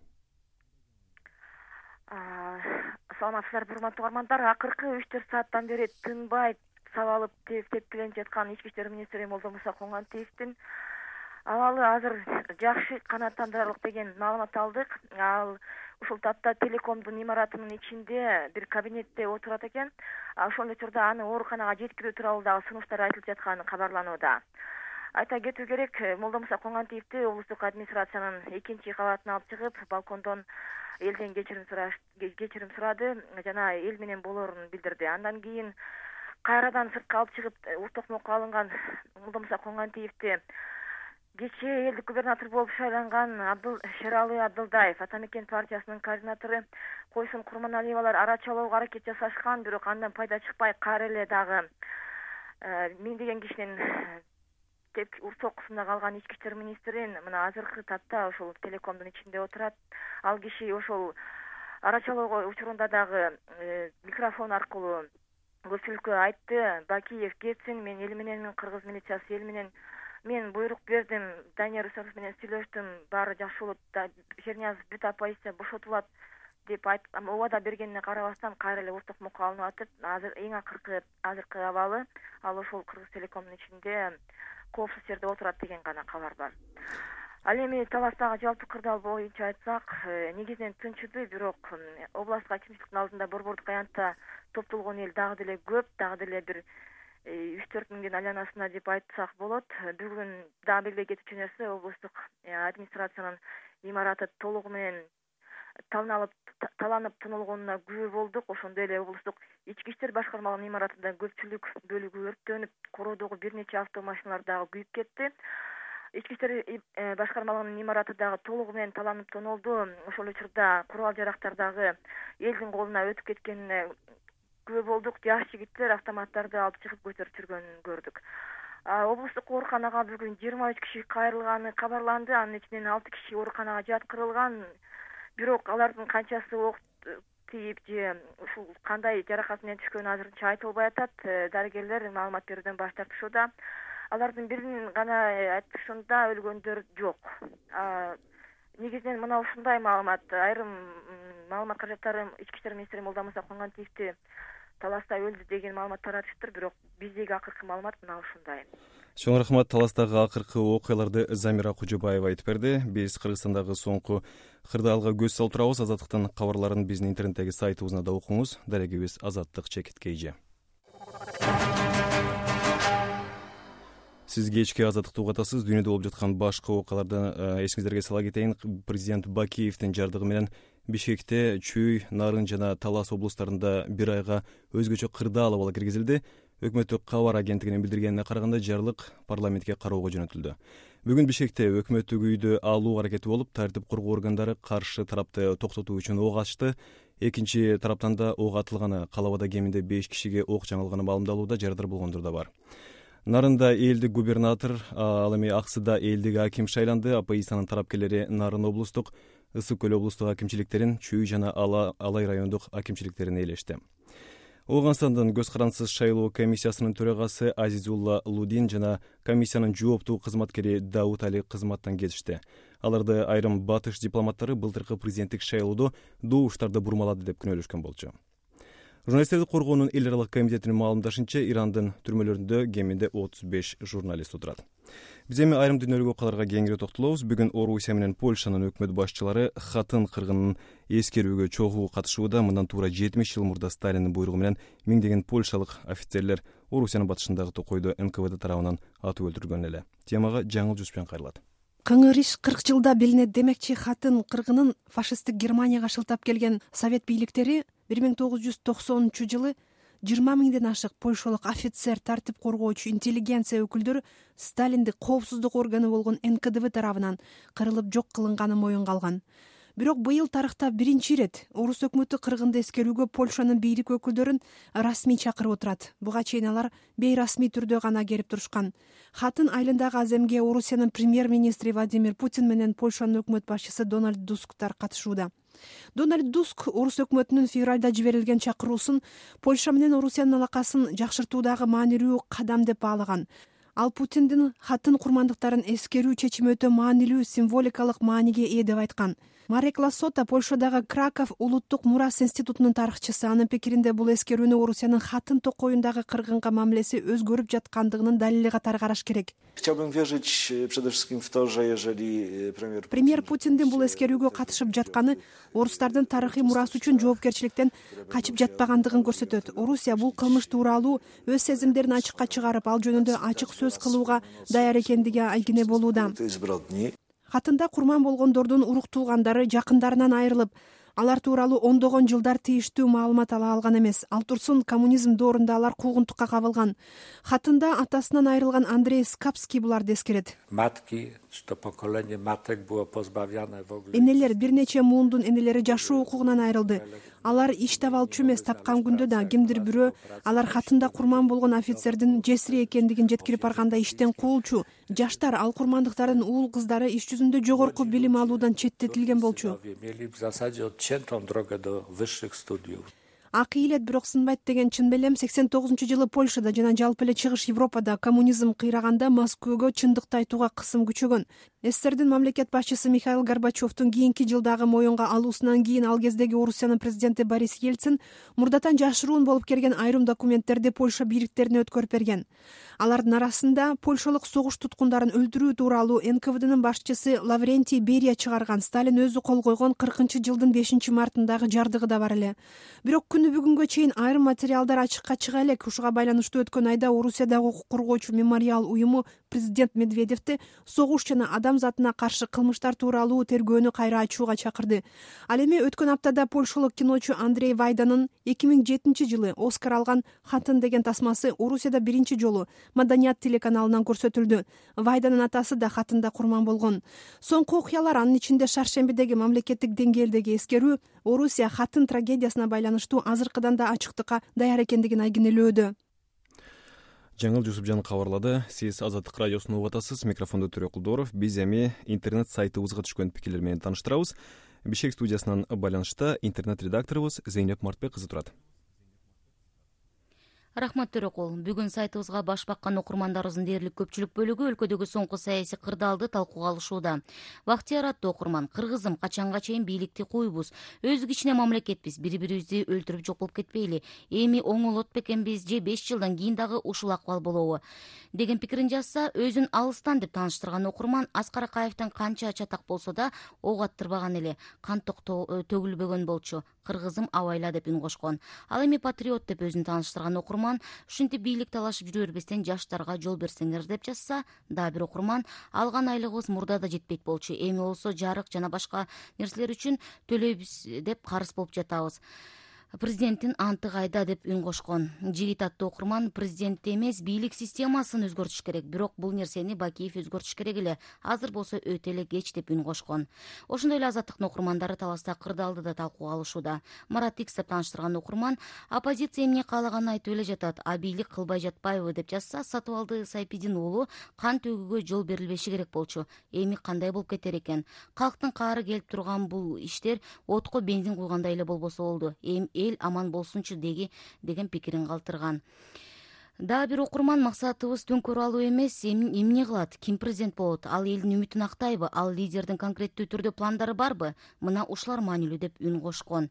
Speaker 15: Саламатсыздарбы, урматтуу угармандар. Акыркы үч төрт сааттан бери тынбай сабалып тепкиленип жаткан ички иштер министри Молдомуса Коңгантиевдин абалы азыр жакшы, канааттандырарлык деген маалымат алдык. Ал ушул тапта телекомдун имаратынын ичинде бир кабинетте отурат экен. Ошол учурда аны ооруканага жеткирүү тууралуу дагы сунуштар айтылып жатканы кабарланууда. Айта кетүү керек, Молдомуса Коңгантиевди облустук администрациянын экинчи кабатына алып чыгып, балкондон элден кечирим сураш кечирим сурады жана эл менен болоорун билдирди. Андан кийин кайрадан сыртка алып чыгып токмокко алынган Молдомуса Коңгантиевди кечээ элдик губернатор болуп шайланган Абдыл Шералы Абдылдаев, Атамекен партиясынын координатору Койсун Курманалиевалар арачалоого аракет жасашкан, бирок андан пайда чыкпай кайра эле дагы миңдеген кишинин уртокусунда калган ички иштер министрин мына азыркы тапта ошол телекомдун ичинде отурат. Ал киши ошол арачалоого учурунда дагы микрофон аркылуу көпчүлүккө айтты: Бакиев кетсин, мен эл менен, кыргыз милициясы эл менен мен буйрук бердим, Данияр Усаров менен сүйлөштүм, баары жакшы болот, Шерниязов бүт оппозиция бошотулат деп айтып, убада бергенине карабастан кайра эле уртокмокко алынып атып, азыр эң акыркы азыркы абалы ал ошол Кыргыз телекомдун ичинде коопсуз жерде отурат деген гана кабар бар. Ал эми Таластагы жалпы кырдаал боюнча айтсак, негизинен тынчыды, бирок областтык акимчиликтин алдында борбордук аянтта топтолгон эл дагы деле көп, дагы деле бир үч төрт миңдин айланасында деп айтсак болот. Бүгүн дагы белгилей кетүүчү нерсе, облустук администрациянын имараты толугу менен таланып таланып тонолгонуна күбө болдук. Ошондой эле облустук ички иштер башкармалыгынын имаратында көпчүлүк бөлүгү өрттөнүп, короодогу бир нече автомашиналар дагы күйүп кетти. Ички иштер башкармалыгынын имараты дагы толугу менен таланып тонолду. Ошол учурда курал жарактар дагы элдин колуна өтүп кеткенине күбө болдук. Жаш жигиттер автоматтарды алып чыгып көтөрүп жүргөнүн көрдүк. Облустук ооруканага бүгүн жыйырма үч киши кайрылганы кабарланды. Анын ичинен алты киши ооруканага жаткырылган. Бирок алардын канчасы ок тийип же ушул кандай жаракат менен түшкөнү азырынча айтылбай атат. Дарыгерлер маалымат берүүдөн баш тартышууда. Алардын биринин гана айтышында өлгөндөр жок. Негизинен мына ушундай маалымат, айрым маалымат каражаттары ички иштер министри Молдомуса Коңгантиевди Таласта өлдү деген маалымат таратышыптыр, бирок биздеги акыркы маалымат мына ушундай.
Speaker 1: Чоң рахмат. Таластагы акыркы окуяларды Замира Кожобаева айтып берди. Биз Кыргызстандагы соңку кырдаалга көз салып турабыз. Азаттыктын кабарларын биздин интернеттеги сайтыбызда да окуңуз. Дарегибиз Азаттык чекит kg. Сиз кечки Азаттыкты угатасыз. Дүйнөдө болуп жаткан башка окуяларды эсиңиздерге сала кетейин. Президент Бакиевдин жардыгы менен Бишкекте Чүй, Нарын жана Талас облустарында бир айга өзгөчө кырдаал абалы киргизилди. Өкмөттүк кабар агенттигинин билдиргенине караганда жарлык парламентке кароого жөнөтүлдү. Бүгүн Бишкекте өкмөттүк үйдү алуу аракети болуп, тартип коргоо органдары каршы тарапты токтотуу үчүн ок ачты. Экинчи тараптан да ок атылганы, калабада кеминде беш кишиге ок жаңылганы маалымдалууда, жарадар болгондор да бар. Нарында элдик губернатор, ал эми Аксыда элдик аким шайланды. Оппозициянын тарапкерлери Нарын облустук, Ысык көл облустук акимчиликтерин, Чүй жана Алай райондук акимчиликтерин ээлешти. Ооганстандын көз карансыз шайлоо комиссиясынын төрагасы Азизулла Лудин жана комиссиянын жооптуу кызматкери Даут Али кызматтан кетишти. Аларды айрым батыш дипломаттары былтыркы президенттик шайлоодо добуштарды бурмалады деп күнөөлөшкөн болчу. журналисттерди коргоонун эл аралык комитетинин маалымдашынча, Ирандын түрмөлөрүндө кеминде отуз беш журналист отурат. Биз эми айрым дүнөлүк окуяларга кеңири токтолобуз. Бүгүн Орусия менен Польшанын өкмөт башчылары хатын кыргынын эскерүүгө чогуу катышууда. Мындан туура жетимиш жыл мурда Сталиндин буйругу менен миңдеген польшалык офицерлер Орусиянын батышындагы токойдо эн ка вэ дэ тарабынан атып өлтүрүлгөн эле. Темага жаңыл жүзбен кайрылат.
Speaker 16: Кыңыр иш кырк жылда билинет. Демекчи хатын кыргынын фашисттик Германияга шылтап келген совет бийликтери бир миң тогуз жүз токсонунчу жылы жыйырма миңден ашык польшалык офицер, тартип коргоочу, интеллигенция өкүлдөрү Сталиндик коопсуздук органы болгон эн ка дэ вэ тарабынан кырылып жок кылынганы моюнга алган. Бирок быйыл тарыхта биринчи ирет орус өкмөтү кыргынды эскерүүгө Польшанын бийлик өкүлдөрүн расмий чакырып отурат. Буга чейин алар бейрасмий түрдө гана келип турушкан. Хатын айылындагы аземге Орусиянын премьер-министри Владимир Путин менен Польшанын өкмөт башчысы Дональд Тусктар катышууда. Дональд Туск орус өкмөтүнүн февралда жиберилген чакыруусун Польша менен Орусиянын алакасын жакшыртуудагы маанилүү кадам деп баалаган. Ал Путиндин хатын курмандыктарын эскерүү чечими өтө маанилүү символикалык мааниге ээ деп айткан. Марек Лассота Польшадагы Краков улуттук мурас институтунун тарыхчысы. Анын пикиринде бул эскерүүнү Орусиянын хатын токоюндагы кыргынга мамилеси өзгөрүп жаткандыгынын далили катары караш керек.
Speaker 17: Chciałbym wierzyć przede wszystkim w to, że jeżeli premier
Speaker 16: Премьер Путиндин бул эскерүүгө катышып жатканы орустардын тарыхый мурасы үчүн жоопкерчиликтен качып жатпагандыгын көрсөтөт. Орусия бул кылмыш тууралуу өз сезимдерин ачыкка чыгарып, ал жөнүндө ачык сөз кылууга даяр экендиги айгине болууда. Хатында курман болгондордун урук туугандары жакындарынан айрылып, алар тууралуу ондогон жылдар тийиштүү маалымат ала алган эмес. Ал турсун коммунизм доорунда алар куугунтукка кабылган. Хатында атасынан айрылган Андрей Скапский буларды эскерет. Энелер, бир нече муундун энелери жашоо укугунан айрылды. Алар иш таба алчу эмес, тапкан күндө да кимдир бирөө алар хатында курман болгон офицердин жесири экендигин жеткирип барганда иштен куулчу. Жаштар, ал курмандыктардын уул кыздары иш жүзүндө жогорку билим алуудан четтетилген болчу. Акы илет, бирок сынбайт деген чын белем. сексен тогузунчу жылы Польшада жана жалпы эле чыгыш Европада коммунизм кыйраганда Москвага чындыкты айтууга кысым күчөгөн. СССРдин мамлекет башчысы Михаил Горбачевдун кийинки жылдагы моюнга алуусунан кийин ал кездеги Орусиянын президенти Борис Ельцин мурдатан жашыруун болуп келген айрым документтерди Польша бийликтерине өткөрүп берген. Алардын арасында польшалык согуш туткундарын өлтүрүү тууралуу эн ка вэ дэнин башчысы Лаврентий Берия чыгарган Сталин өзү кол койгон кыркынчы жылдын бешинчи мартындагы жардыгы да бар эле. Бирок күнү бүгүнгө чейин айрым материалдар ачыкка чыга элек. Ушуга байланыштуу өткөн айда Орусиядагы укук коргоочу мемориал уюму президент Медведевди согуш жана адам затына каршы кылмыштар тууралуу тергөөнү кайра ачууга чакырды. Ал эми өткөн аптада польшалык киночу Андрей Вайданын эки миң жетинчи жылы Оскар алган Хатын деген тасмасы Орусияда биринчи жолу Маданият телеканалынан көрсөтүлдү. Вайданын атасы да хатында курман болгон. Соңку окуялар, анын ичинде шаршембидеги мамлекеттик деңгээлдеги эскерүү Орусия хатын трагедиясына байланыштуу азыркыдан да ачыктыкка даяр экендигин айгинелөөдө.
Speaker 1: Жаңыл Жусупжан кабарлады. Сиз Азаттык радиосун угуп атасыз. Микрофондо Төрө Кулдоров. Биз эми интернет сайтыбызга түшкөн пикирлер менен тааныштырабыз. Бишкек студиясынан байланышта интернет редакторубуз Зейнеп Мартбек кызы турат.
Speaker 18: Рахмат Төрөкул. Бүгүн сайтыбызга баш баккан окурмандарыбыздын дээрлик көпчүлүк бөлүгү өлкөдөгү соңку саясий кырдаалды талкууга алышууда. Бактияр аттуу окурман: кыргызым, качанга чейин бийликти куйбуз? Өз кичине мамлекетпиз, бири-бирибизди өлтүрүп жок болуп кетпейли? Эми оңолот бекенбиз же беш жылдан кийин дагы ушул акыбал болобу? Деген пикирин жазса, өзүн алыстан деп тааныштырган окурман Аскар Акаевден канча чатак болсо да ок аттырбаган эле, кан төгүлбөгөн болчу. Кыргызым абайла деп үн кошкон. Ал эми патриот деп өзүн тааныштырган окурман ушинтип бийлик талашып жүрө бербестен жаштарга жол берсеңер деп жазса, дагы бир окурман: алган айлыгыбыз мурда да жетпейт болчу, эми болсо жарык жана башка нерселер үчүн төлөйбүз деп карыз болуп жатабыз. Президенттин анты кайда деп үн кошкон. Жигит аттуу окурман: президентти эмес, бийлик системасын өзгөртүш керек, бирок бул нерсени Бакиев өзгөртүш керек эле, азыр болсо өтө эле кеч деп үн кошкон. Ошондой эле Азаттыктын окурмандары таласта кырдаалды да талкууга алышууда. Марат Икс деп тааныштырган окурман: оппозиция эмне каалаганын айтып эле жатат, а бийлик кылбай жатпайбы деп жазса, Сатыбалды Сайпидин уулу: кан төгүүгө жол берилбеши керек болчу, эми кандай болуп кетер экен? Калктын каары келип турган бул иштер отко бензин куйгандай эле болбосо болду. Эми эл аман болсунчу деги деген пикирин калтырган. Дагы бир окурман: максатыбыз төңкөрүп алуу эмес, эмне кылат, ким президент болот, ал элдин үмүтүн актайбы, ал лидердин конкреттүү түрдө пландары барбы? Мына ушулар маанилүү деп үн кошкон.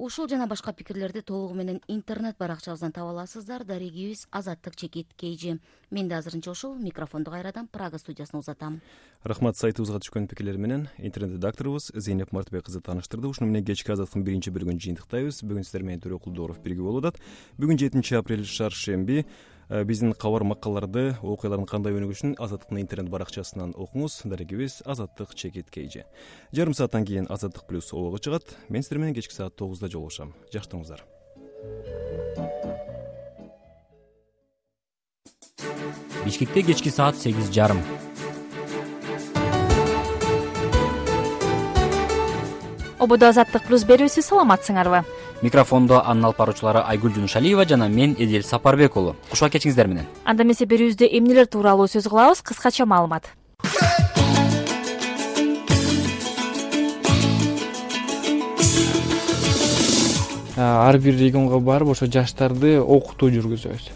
Speaker 18: Ушул жана башка пикирлерди толугу менен интернет баракчабыздан таба аласыздар. Дарегибиз Азаттык Чекит Кейжи. Мен да азырынча ушул микрофонду кайрадан Прага студиясына узатам.
Speaker 1: Рахмат, сайтыбызга түшкөн пикирлер менен интернет редакторубуз Зейнеп Мартыбек кызы тааныштырды. Ушуну менен кечки Азаттыктын биринчи бөлүгүн жыйынтыктайбыз. Бүгүн сиздер менен Төрөкулдууров бирге болуп атат. Бүгүн жетинчи апрель шаршемби. Биздин кабар макалаларды, окуялардын кандай өнүгүшүн Азаттыктын интернет баракчасынан окуңуз. Дарегибиз Азаттык Чекит Кейжи. Жарым сааттан кийин Азаттык плюс обого чыгат. Мен сиздер менен кечки саат тогузда жолугушам. Жакшырыңыздар.
Speaker 19: Бишкекте кечки саат сегиз жарым.
Speaker 20: Ободо Азаттык плюс берүүсү, саламатсыңарбы?
Speaker 19: Микрофондо анын алып баруучулары Айгүл Жунушалиева жана мен Эдил Сапарбек уулу. Кушуа кечиңиздер менен.
Speaker 20: Анда эмесе берүүбүздө эмнелер тууралуу сөз кылабыз? Кыскача маалымат.
Speaker 21: Ар бир регионго барып ошо жаштарды окутуу жүргүзөбүз.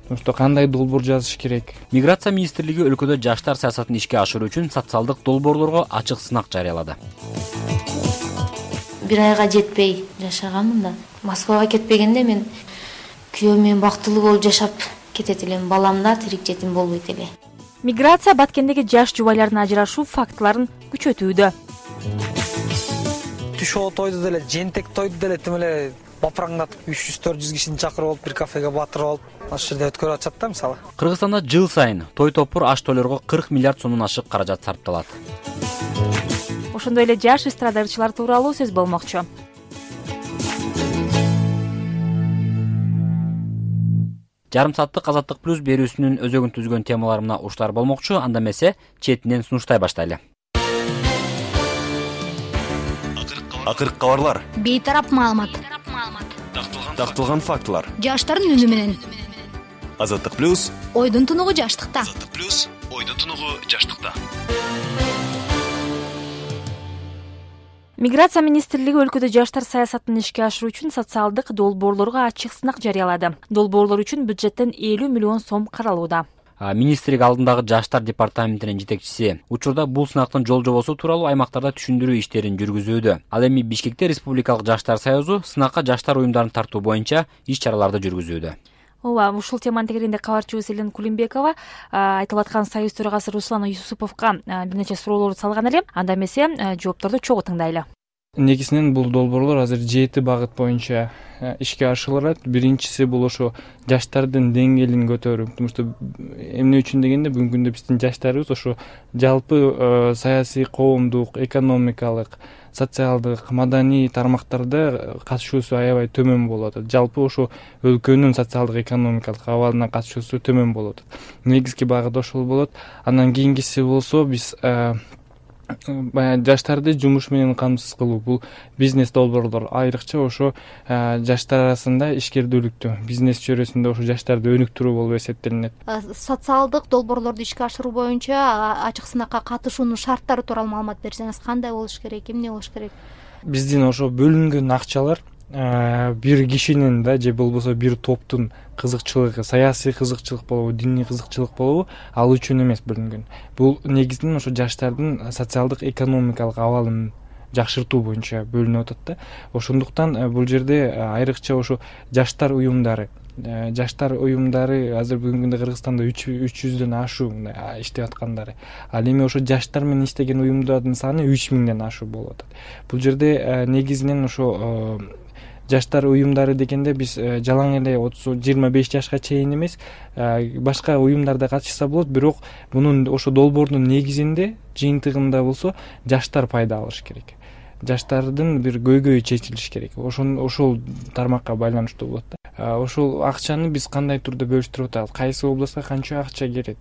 Speaker 21: Ошто кандай долбоор жазыш керек?
Speaker 19: Миграция министрлиги өлкөдө жаштар саясатын ишке ашыруу үчүн социалдык долбоорлорго ачык сынак жарыялады.
Speaker 22: Бир айга жетпей жашаганмын да. Москвага кетпегенде мен күйөөм менен бактылуу болуп жашап кетет элем. Балам да тирик жетим болбойт эле.
Speaker 20: Миграция Баткендеги жаш жубайлардын ажырашуу фактыларын күчөтүүдө.
Speaker 23: Түшөө тойду деле, жентек тойду деле тим эле бапыраңдатып үч жүз төрт жүз кишини чакырып алып бир кафеге батырып алып, ошол жерде өткөрүп атышат да мисалы.
Speaker 19: Кыргызстанда жыл сайын той топур аш тойлорго кырк миллиард сомдон ашык каражат сарпталат.
Speaker 20: Ошондой эле жаш эстрада ырчылар тууралуу сөз болмокчу.
Speaker 19: Жарым сааттык Азаттык плюс берүүсүнүн өзөгүн түзгөн темалары мына ушулар болмокчу. Анда эмесе четинен сунуштай баштайлы.
Speaker 24: Акыркы кабарлар.
Speaker 25: Бейтарап маалымат.
Speaker 24: Такталган фактылар.
Speaker 25: Жаштардын үнү менен.
Speaker 24: Азаттык плюс.
Speaker 25: Ойдун тунугу жаштыкта.
Speaker 24: Азаттык плюс. Ойдун тунугу жаштыкта.
Speaker 20: Миграция министрлиги өлкөдө жаштар саясатын ишке ашыруу үчүн социалдык долбоорлорго ачык сынак жарыялады. Долбоорлор үчүн бюджеттен элүү миллион сом каралууда.
Speaker 19: Министрлик алдындагы жаштар департаментинин жетекчиси учурда бул сынактын жол жобосу тууралуу аймактарда түшүндүрүү иштерин жүргүзүүдө. Ал эми Бишкекте Республикалык жаштар союзу сынакка жаштар уюмдарын тартуу боюнча иш-чараларды жүргүзүүдө.
Speaker 20: Ооба, ушул теманын тегерегинде кабарчыбыз Элен Кулимбекова айтылып аткан союз төрагасы Руслан Юсуповго бир нече суроолорду салган эле. Анда эмесе жоопторду чогуу тыңдайлы.
Speaker 21: Негизинен бул долбоорлор азыр жети багыт боюнча ишке ашырылат. Биринчиси бул ошо жаштардын деңгээлин көтөрүү. Потому что эмне үчүн дегенде бүгүнкү күндө биздин жаштарыбыз ошо жалпы саясий, коомдук, экономикалык, социалдык, маданий тармактарда катышуусу аябай төмөн болот. Жалпы ошо өлкөнүн социалдык, экономикалык абалына катышуусу төмөн болот. Негизги багыт ошол болот. Андан кийинкиси болсо биз баягы жаштарды жумуш менен камсыз кылуу. Бул бизнес долбоорлор айрыкча ошо жаштар арасында ишкердүүлүктү, бизнес чөйрөсүндө ошо жаштарды өнүктүрүү болуп эсептелинет.
Speaker 25: Социалдык долбоорлорду ишке ашыруу боюнча ачык сынакка катышуунун шарттары тууралуу маалымат берсеңиз, кандай болуш керек, эмне болуш керек?
Speaker 21: Биздин ошо бөлүнгөн акчалар бир кишинин да же болбосо бир топтун кызыкчылыгы, саясий кызыкчылык болобу, диний кызыкчылык болобу, ал үчүн эмес бөлүнгөн. Бул негизинен ошо жаштардын социалдык, экономикалык абалын жакшыртуу боюнча бөлүнүп атат да. Ошондуктан бул жерде айрыкча ошо жаштар уюмдары, жаштар уюмдары азыр бүгүнкү күндө Кыргызстанда үч жүздөн ашуу иштеп аткандары. Ал эми ошо жаштар менен иштеген уюмдардын саны үч миңден ашуу болуп атат. Бул жерде негизинен ошо жаштар уюмдары дегенде биз жалаң эле отуз жыйырма беш жашка чейин эмес, башка уюмдарда катышса болот, бирок мунун ошо долбоордун негизинде, жыйынтыгында болсо жаштар пайда алыш керек. Жаштардын бир көйгөйү чечилиш керек. Ошон ошол тармакка байланыштуу болот да. Ошол акчаны биз кандай турда бөлүштүрүп атабыз, кайсы областка канча акча келет.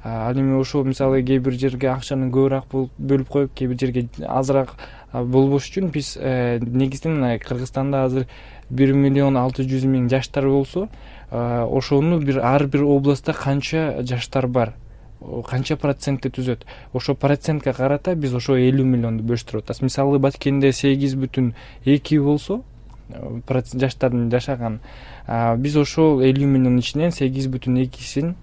Speaker 21: Ал эми ошол мисалы кээ бир жерге акчаны көбүрөөк бөлүп коюп, кээ бир жерге азыраак болбош үчүн биз негизинен Кыргызстанда азыр бир миллион алты жүз миң жаштар болсо, ошону бир ар бир областта канча жаштар бар, канча процентти түзөт. Ошо процентке карата биз ошо элүү миллионду бөлүштүрүп атабыз. Мисалы Баткенде сегиз бүтүн эки болсо, жаштардын жашаган, биз ошол элүү миллион ичинен сегиз бүтүн экисин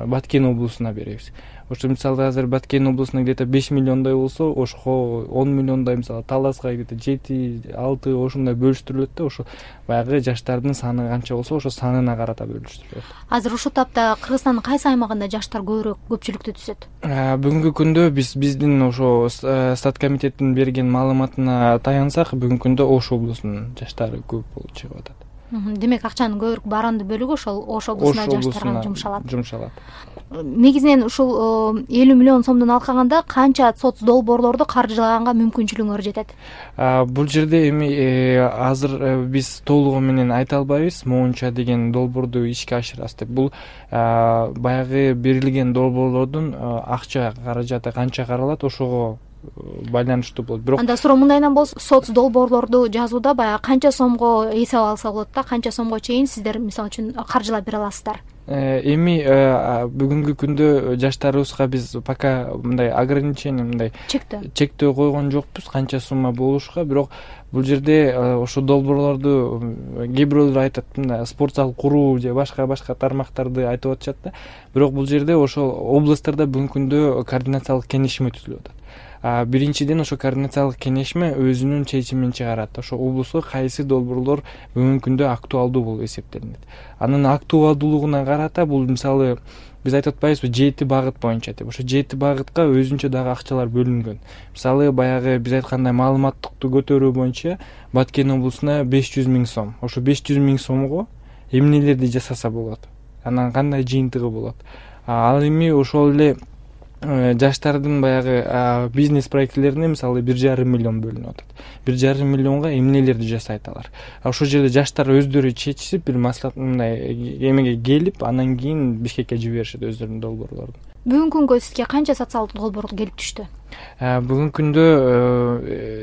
Speaker 21: Баткен облусуна беребиз. Ошо мисалы азыр Баткен облусуна где-то беш миллиондой болсо, Ошко он миллиондой, мисалы Таласка где-то жети алты ошондой бөлүштүрүлөт да. Ошо баягы жаштардын саны канча болсо, ошо санына карата бөлүштүрүлөт.
Speaker 25: Азыр ушул тапта Кыргызстандын кайсы аймагында жаштар көбүрөөк көпчүлүктү түзөт?
Speaker 21: Бүгүнкү күндө биз биздин ошо Стат комитеттин берген маалыматына таянсак, бүгүнкү күндө Ош облусунун жаштары көп болуп чыгып атат.
Speaker 25: Демек акчанын көбүрөөк баранды бөлүгү ошол Ош облусуна жаштарга жумшалат.
Speaker 21: Жумшалат.
Speaker 25: Негизинен ушул элүү миллион сомдон алкаганда канча соц долбоорлорду каржылаганга мүмкүнчүлүгүңөр жетет?
Speaker 21: Бул жерде эми азыр биз толугу менен айта албайбыз, моунча деген долбоорду ишке ашырабыз деп. Бул баягы берилген долбоорлордун акча каражаты канча каралат, ошого байланыштуу болот. Бирок
Speaker 25: анда суроо мындайынан болсо, соц долбоорлорду жазууда баягы канча сомго эсеп алса болот да, канча сомго чейин сиздер мисалы үчүн каржылап бере аласыздар?
Speaker 21: Эми бүгүнкү күндө жаштарыбызга биз пока мындай ограничение, мындай чектөө койгон жокпуз канча сумма болушка. Бирок бул жерде ошо долбоорлорду кээ бирөөлөр айтат, мындай спорт зал куруу же башка башка тармактарды айтып атышат да. Бирок бул жерде ошол областтарда бүгүнкү күндө координациялык кеңешме түзүлүп атат. Биринчиден ошо координациялык кеңешме өзүнүн чечимин чыгарат. Ошо облуска кайсы долбоорлор бүгүнкү күндө актуалдуу болуп эсептелинет. Анын актуалдуулугуна карата бул мисалы биз айтып атпайбызбы, жети багыт боюнча деп. Ошо жети багытка өзүнчө дагы акчалар бөлүнгөн. Мисалы баягы биз айткандай маалыматтыкты көтөрүү боюнча Баткен облусуна беш жүз миң сом. Ошо беш жүз миң сомго эмнелерди жасаса болот? Анан кандай жыйынтыгы болот? Ал эми ошол эле жаштардын баягы бизнес проектилерине мисалы бир жарым миллион бөлүнүп атат. бир жарым миллионго эмнелерди жасайт алар? Ошол жерде жаштар өздөрү чечишип, бир маслихат мындай эмеге келип, анан кийин Бишкекке жиберишет өздөрүнүн долбоорлорун.
Speaker 25: Бүгүнкү күнгө сизге канча социалдык долбоор келип түштү?
Speaker 21: Бүгүнкү күндө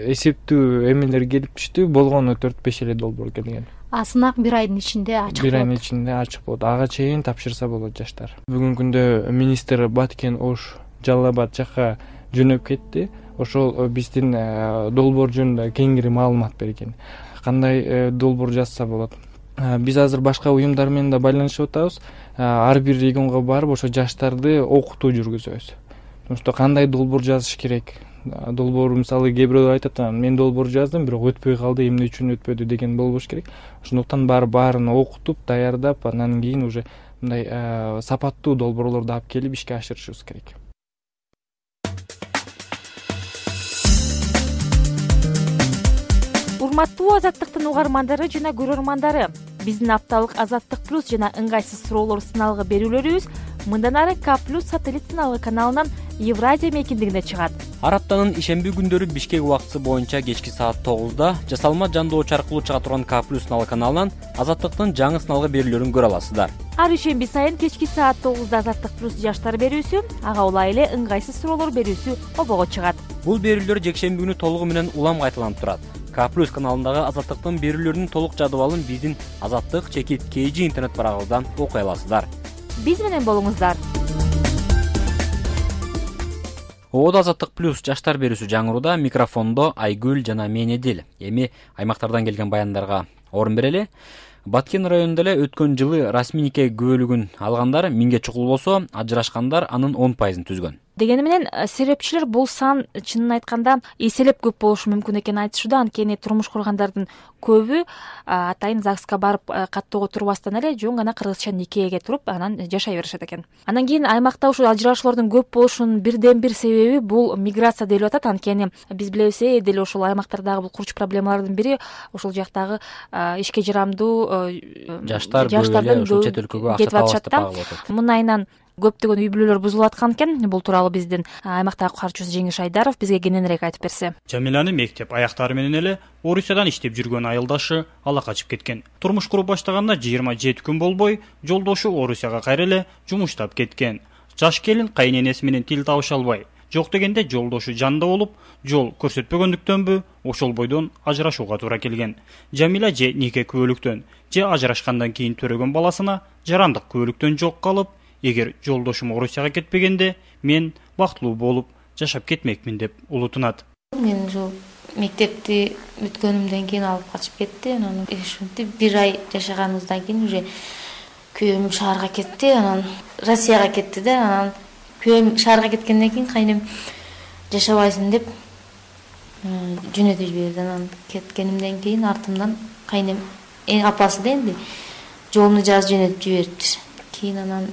Speaker 21: эсептүү эмелер келип түштү, болгону төрт беш эле долбоор келген.
Speaker 25: А сынак бир айдын ичинде ачык болот.
Speaker 21: Бир айдын ичинде ачык болот. Ага чейин тапшырса болот жаштар. Бүгүнкү күндө министр Баткен, Ош, Жалал Абад жакка жөнөп кетти. Ошол биздин долбоор жөнүндө кеңири маалымат берген. Кандай долбоор жазса болот? Биз азыр башка уюмдар менен да байланышып атабыз. Ар бир регионго барып, ошо жаштарды окутуу жүргүзөбүз. Ошто кандай долбоор жазыш керек? Долбоор мисалы кээ бирөө айтат, мен долбоор жаздым, бирок өтпөй калды, эмне үчүн өтпөдү деген болбош керек. Ошондуктан барып баарын окутуп, даярдап, анан кийин уже мындай сапаттуу долбоорлорду алып келип ишке ашырышыбыз керек.
Speaker 20: Урматтуу Азаттыктын угармандары жана көрөрмандары, биздин апталык Азаттык плюс жана ыңгайсыз суроолор сыналгы берүүлөрүбүз мындан ары К плюс сателлит сыналгы каналынан Евразия мейкиндигинде чыгат.
Speaker 19: Ар аптанын ишемби күндөрү Бишкек убактысы боюнча кечки саат тогузда жасалма жандоочу аркылуу чыга турган К плюс сыналгы каналынан Азаттыктын жаңы сыналгы берүүлөрүн көрө аласыздар.
Speaker 20: Ар ишемби сайын кечки саат тогузда Азаттык плюс жаштар берүүсү, ага улай эле ыңгайсыз суроолор берүүсү обого чыгат.
Speaker 19: Бул берүүлөр жекшемби күнү толугу менен улам кайталанып турат. К плюс каналындагы Азаттыктын берүүлөрүнүн толук жадыбалын биздин Азаттык чекит кей жи интернет барагыбыздан окуй аласыздар.
Speaker 20: Биз менен болуңуздар.
Speaker 19: Ободо Азаттык плюс жаштар берүүсү жаңырууда, микрофондо Айгүл жана мен Эдил. Эми аймактардан келген баяндарга орун берели. Баткен районунда эле өткөн жылы расмий нике күбөлүгүн алгандар миңге чукул болсо, ажырашкандар анын он пайызын түзгөн.
Speaker 20: Дегени менен серепчилер бул сан чынын айтканда эселеп көп болушу мүмкүн экенин айтышууда. Анткени турмуш кургандардын көбү атайын ЗАГСка барып каттоого турбастан эле жөн гана кыргызча никеге туруп анан жашай беришет экен. Анан кийин аймакта ушул ажырашуулардын көп болушунун бирден бир себеби бул миграция делип атат. Анткени биз билебиз, деле ушул аймактардагы бул курч проблемалардын бири ушул жактагы ишке жарамдуу
Speaker 19: жаштар жаштардын ушул чет өлкөгө акча табышат деп багып атат.
Speaker 20: Мынайынан көптөгөн үй бүлөлөр бузулуп аткан экен. Бул тууралуу биздин аймактагы катчуусу Жеңиш Айдаров бизге кененирээк айтып берсе.
Speaker 2: Жамиланы мектеп аяктары менен эле Орусиядан иштеп жүргөн айылдашы ала качып кеткен. Турмуш куруп баштаганда жыйырма жети күн болбой жолдошу Орусияга кайра эле жумуштап кеткен. Жаш келин кайненеси менен тил табыша албай, жок дегенде жолдошу жанында болуп, жол көрсөтпөгөндүктөнбү ошол бойдон ажырашууга туура келген. Жамила же нике күбөлүктөн, же ажырашкандан кийин төрөгөн баласына жарандык күбөлүктөн жок калып, эгер жолдошум Орусияга кетпегенде мен бактылуу болуп жашап кетмекмин деп улутунат.
Speaker 22: Мен ушул мектепти бүткөнүмдөн кийин алып качып кетти. Анан ушинтип бир ай жашаганыбыздан кийин уже күйөөм шаарга кетти, анан Россияга кетти да, анан күйөөм шаарга кеткенден кийин кайнем жашабайсың деп жөнөтүп жиберди. Анан кеткенимден кийин артымдан кайнем эң апасы да энди жоомду жазып жөнөтүп жибериптир. Кийин анан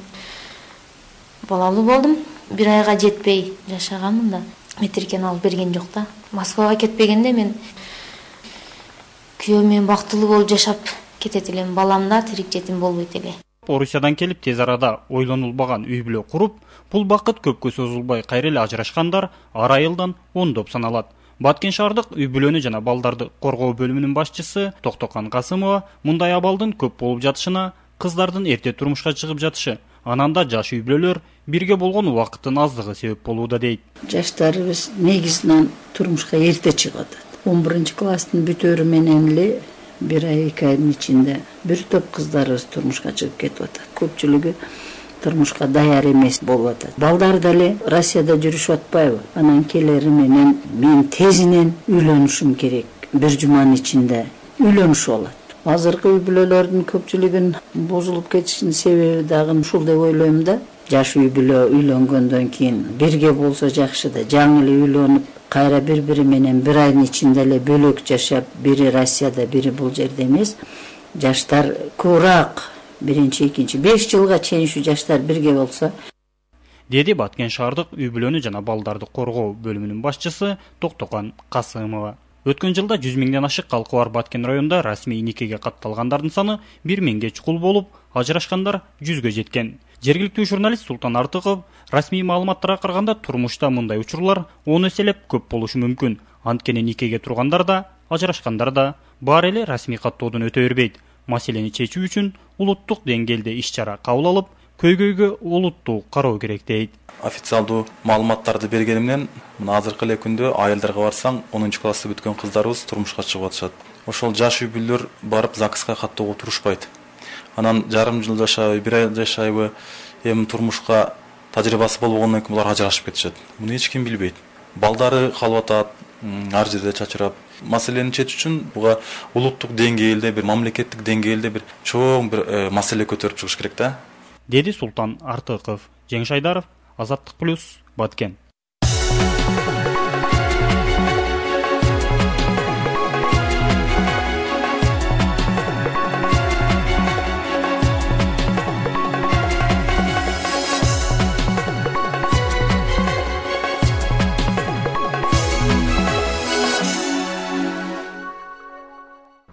Speaker 22: балалуу болдум. Бир айга жетпей жашаганмын да. Метиркен алып берген жок да. Москвага кетпегенде мен күйөөм менен бактылуу болуп жашап кетет элем. Балам да тирик жетим болбойт эле.
Speaker 2: Орусиядан келип тез арада ойлонулбаган үй бүлө куруп, бул бакыт көпкө созулбай кайра эле ажырашкандар ар айылдан ондоп саналат. Баткен шаардык үй бүлөнү жана балдарды коргоо бөлүмүнүн башчысы Токтокан Касымова мындай абалдын көп болуп жатышына, кыздардын эрте турмушка чыгып жатышы, анан да жаш үй бүлөлөр бирге болгон убакыттын аздыгы себеп болууда дейт.
Speaker 3: Жаштарыбыз негизинен турмушка эрте чыгып атат. он биринчи класстын бүтөөрү менен эле бир ай эки айдын ичинде бир топ кыздарыбыз турмушка чыгып кетип атат. Көпчүлүгү турмушка даяр эмес болуп атат. Балдар деле Россияда жүрүшүп атпайбы? Анан келери менен мен тезинен үйлөнүшүм керек. Бир жуманын ичинде үйлөнүшүп алат. Азыркы үй бүлөлөрдүн көпчүлүгүн бузулуп кетишинин себеби дагы ушул деп ойлойм да. Жаш үй бүлө үйлөнгөндөн кийин бирге болсо жакшы да, жаңы эле үйлөнүп, кайра бири-бири менен бир айдын ичинде эле бөлөк жашап, бири Россияда, бири бул жерде эмес. Жаштар көбүрөөк биринчи, экинчи, беш жылга чейин ушу жаштар бирге болсо,
Speaker 2: деди Баткен шаардык үй бүлөнү жана балдарды коргоо бөлүмүнүн башчысы Токтокан Касымова. Өткөн жылда жүз миңден ашык калкы бар Баткен районунда расмий никеге катталгандардын саны бир миңге чукул болуп, ажырашкандар жүзгө жеткен. Жергиликтүү журналист Султан Артыков расмий маалыматтарга караганда турмушта мындай учурлар он эселеп көп болушу мүмкүн. Анткени никеге тургандар да, ажырашкандар да баары эле расмий каттоодон өтө бербейт. Маселени чечүү үчүн улуттук деңгээлде иш-чара кабыл алып, көйгөйгө олуттуу кароо керек дейт.
Speaker 4: Официалдуу маалыматтарды бергени менен, мына азыркы эле күндө айылдарга барсаң, онунчу классты бүткөн кыздарыбыз турмушка чыгып атышат. Ошол жаш үй бүлөлөр барып ЗАГСка каттоого турушпайт. Анан жарым жыл жашайбы, бир ай жашайбы, эми турмушка тажрыйбасы болбогондон кийин булар ажырашып кетишет. Муну эч ким билбейт. Балдары калып атат, ар жерде чачырап. Маселени чечүү үчүн буга улуттук деңгээлде, бир мамлекеттик деңгээлде бир чоң бир маселе көтөрүп чыгыш керек да.
Speaker 2: Деди Султан Артыков. Жеңиш Айдаров, Азаттык плюс, Баткен.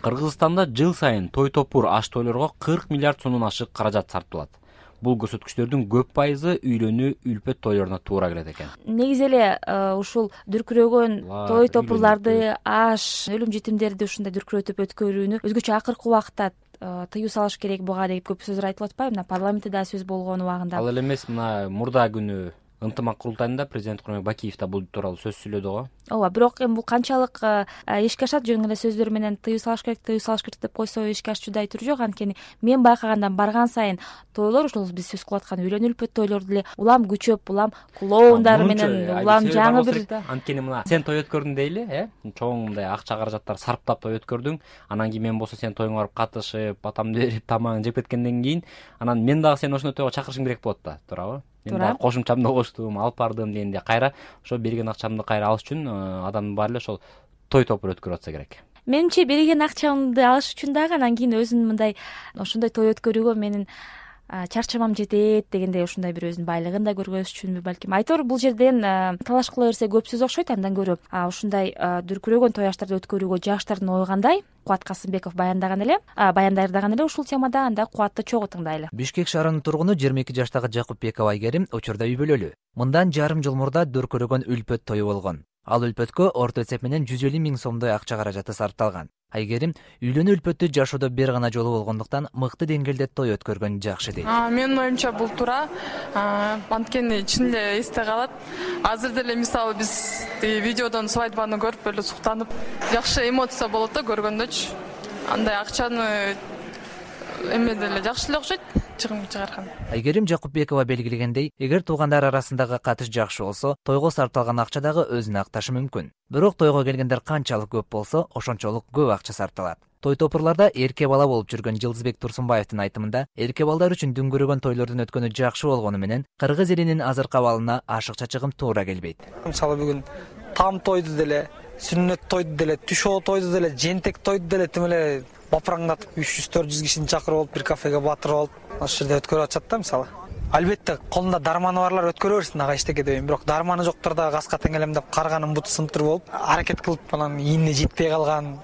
Speaker 19: Кыргызстанда жыл сайын той топур аш тойлорго кырк миллиард сомдон ашык каражат сарпталат. Бул көрсөткүчтөрдүн көп пайызы үйлөнүү, үлпөт тойлоруна туура келет экен.
Speaker 20: Негизи эле ушул дүркүрөгөн той топурларды, аш, өлүм жетимдерди ушундай дүркүрөтүп өткөрүүнү өзгөчө акыркы убакытта тыюу салыш керек буга деп көп сөздөр айтылып атпайбы? Мына парламентте да сөз болгон убагында.
Speaker 19: Ал эле эмес, мына мурда күнү ынтымак курултайында президент Курманбек Бакиев да бул тууралуу сөз сүйлөдү го. Ооба,
Speaker 20: бирок эми бул канчалык эшикке ашат, жөн эле сөздөр менен тыюу салыш керек, тыюу салыш керек деп койсо эшикке ашчудай түрү жок. Анткени мен байкагандан барган сайын тойлор, ошол биз сөз кылып аткан үйлөнүү үлпөт тойлор деле улам күчөп, улам клоундар менен, улам жаңы бир.
Speaker 19: Анткени мына сен той өткөрдүң дейли, э? Чоң мындай акча каражаттар сарптап той өткөрдүң. Анан кийин мен болсо сен тоюңа барып катышып, атамды берип, тамагын жеп кеткенден кийин, анан мен дагы сени ошондой тойго чакырышым керек болот да, туурабы? Мен дагы кошумчамды коштум, алып бардым дегенде кайра ошо берген акчамды кайра алыш үчүн адамдын баары эле ошол той топур өткөрүп атса керек.
Speaker 20: Менимче берген акчамды алыш үчүн дагы анан кийин өзүн мындай ошондой той өткөрүүгө менин чарчамам жетет дегендей ушундай бир өзүнүн байлыгын да көргөзүш үчүнбү балким. Айтор бул жерден талаш кыла берсе көп сөз окшойт, андан көрө ушундай дүркүрөгөн той аштарды өткөрүүгө жаштардын ою кандай? Кубат Касымбеков баяндаган эле, баяндаган эле ушул темада, анда Кубатты чогуу тыңдайлы.
Speaker 6: Бишкек шаарынын тургуну жыйырма эки жаштагы Жакупбеков Айгерим учурда үй бүлөлүү. Мындан жарым жыл мурда дүркүрөгөн үлпөт тою болгон. Ал үлпөткө орто эсеп менен жүз элүү миң сомдой акча каражаты сарпталган. Айгерим үйлөнүү үлпөттү жашоодо бир гана жолу болгондуктан мыкты деңгээлде той өткөргөн жакшы дейт.
Speaker 8: Менин оюмча бул туура. Анткени чын эле эсте калат. Азыр деле мисалы биз видеодон свадьбаны көрүп эле суктанып, жакшы эмоция болот да көргөндөчү. Андай акчаны эме деле жакшы эле окшойт. Чыгарган.
Speaker 6: Айгерим Жакупбекова белгилегендей, эгер туугандар арасындагы катыш жакшы болсо, тойго сарпталган акча дагы өзүнө акташы мүмкүн. Бирок тойго келгендер канчалык көп болсо, ошончолук көп акча сарпталат. Той топурларда эрке бала болуп жүргөн Жылдызбек Турсунбаевдин айтымында эрке балдар үчүн дүңгүрөгөн тойлордун өткөнү жакшы болгону менен кыргыз элинин азыркы абалына ашыкча чыгым туура келбейт.
Speaker 23: Мисалы бүгүн там тойду деле, сүннөт тойду деле, түшөө тойду деле, жентек тойду деле тим эле бапыраңдатып үч жүз төрт жүз кишини чакырып алып бир кафеге батырып алып ошол жерде өткөрүп атышат да мисалы. Албетте колунда дарманы барлар өткөрө берсин ага эчтеке дебейм, бирок дарманы жоктор да газга теңелемдеп карганын буту сынтыр болуп аракет кылып анан ийине жетпей калган,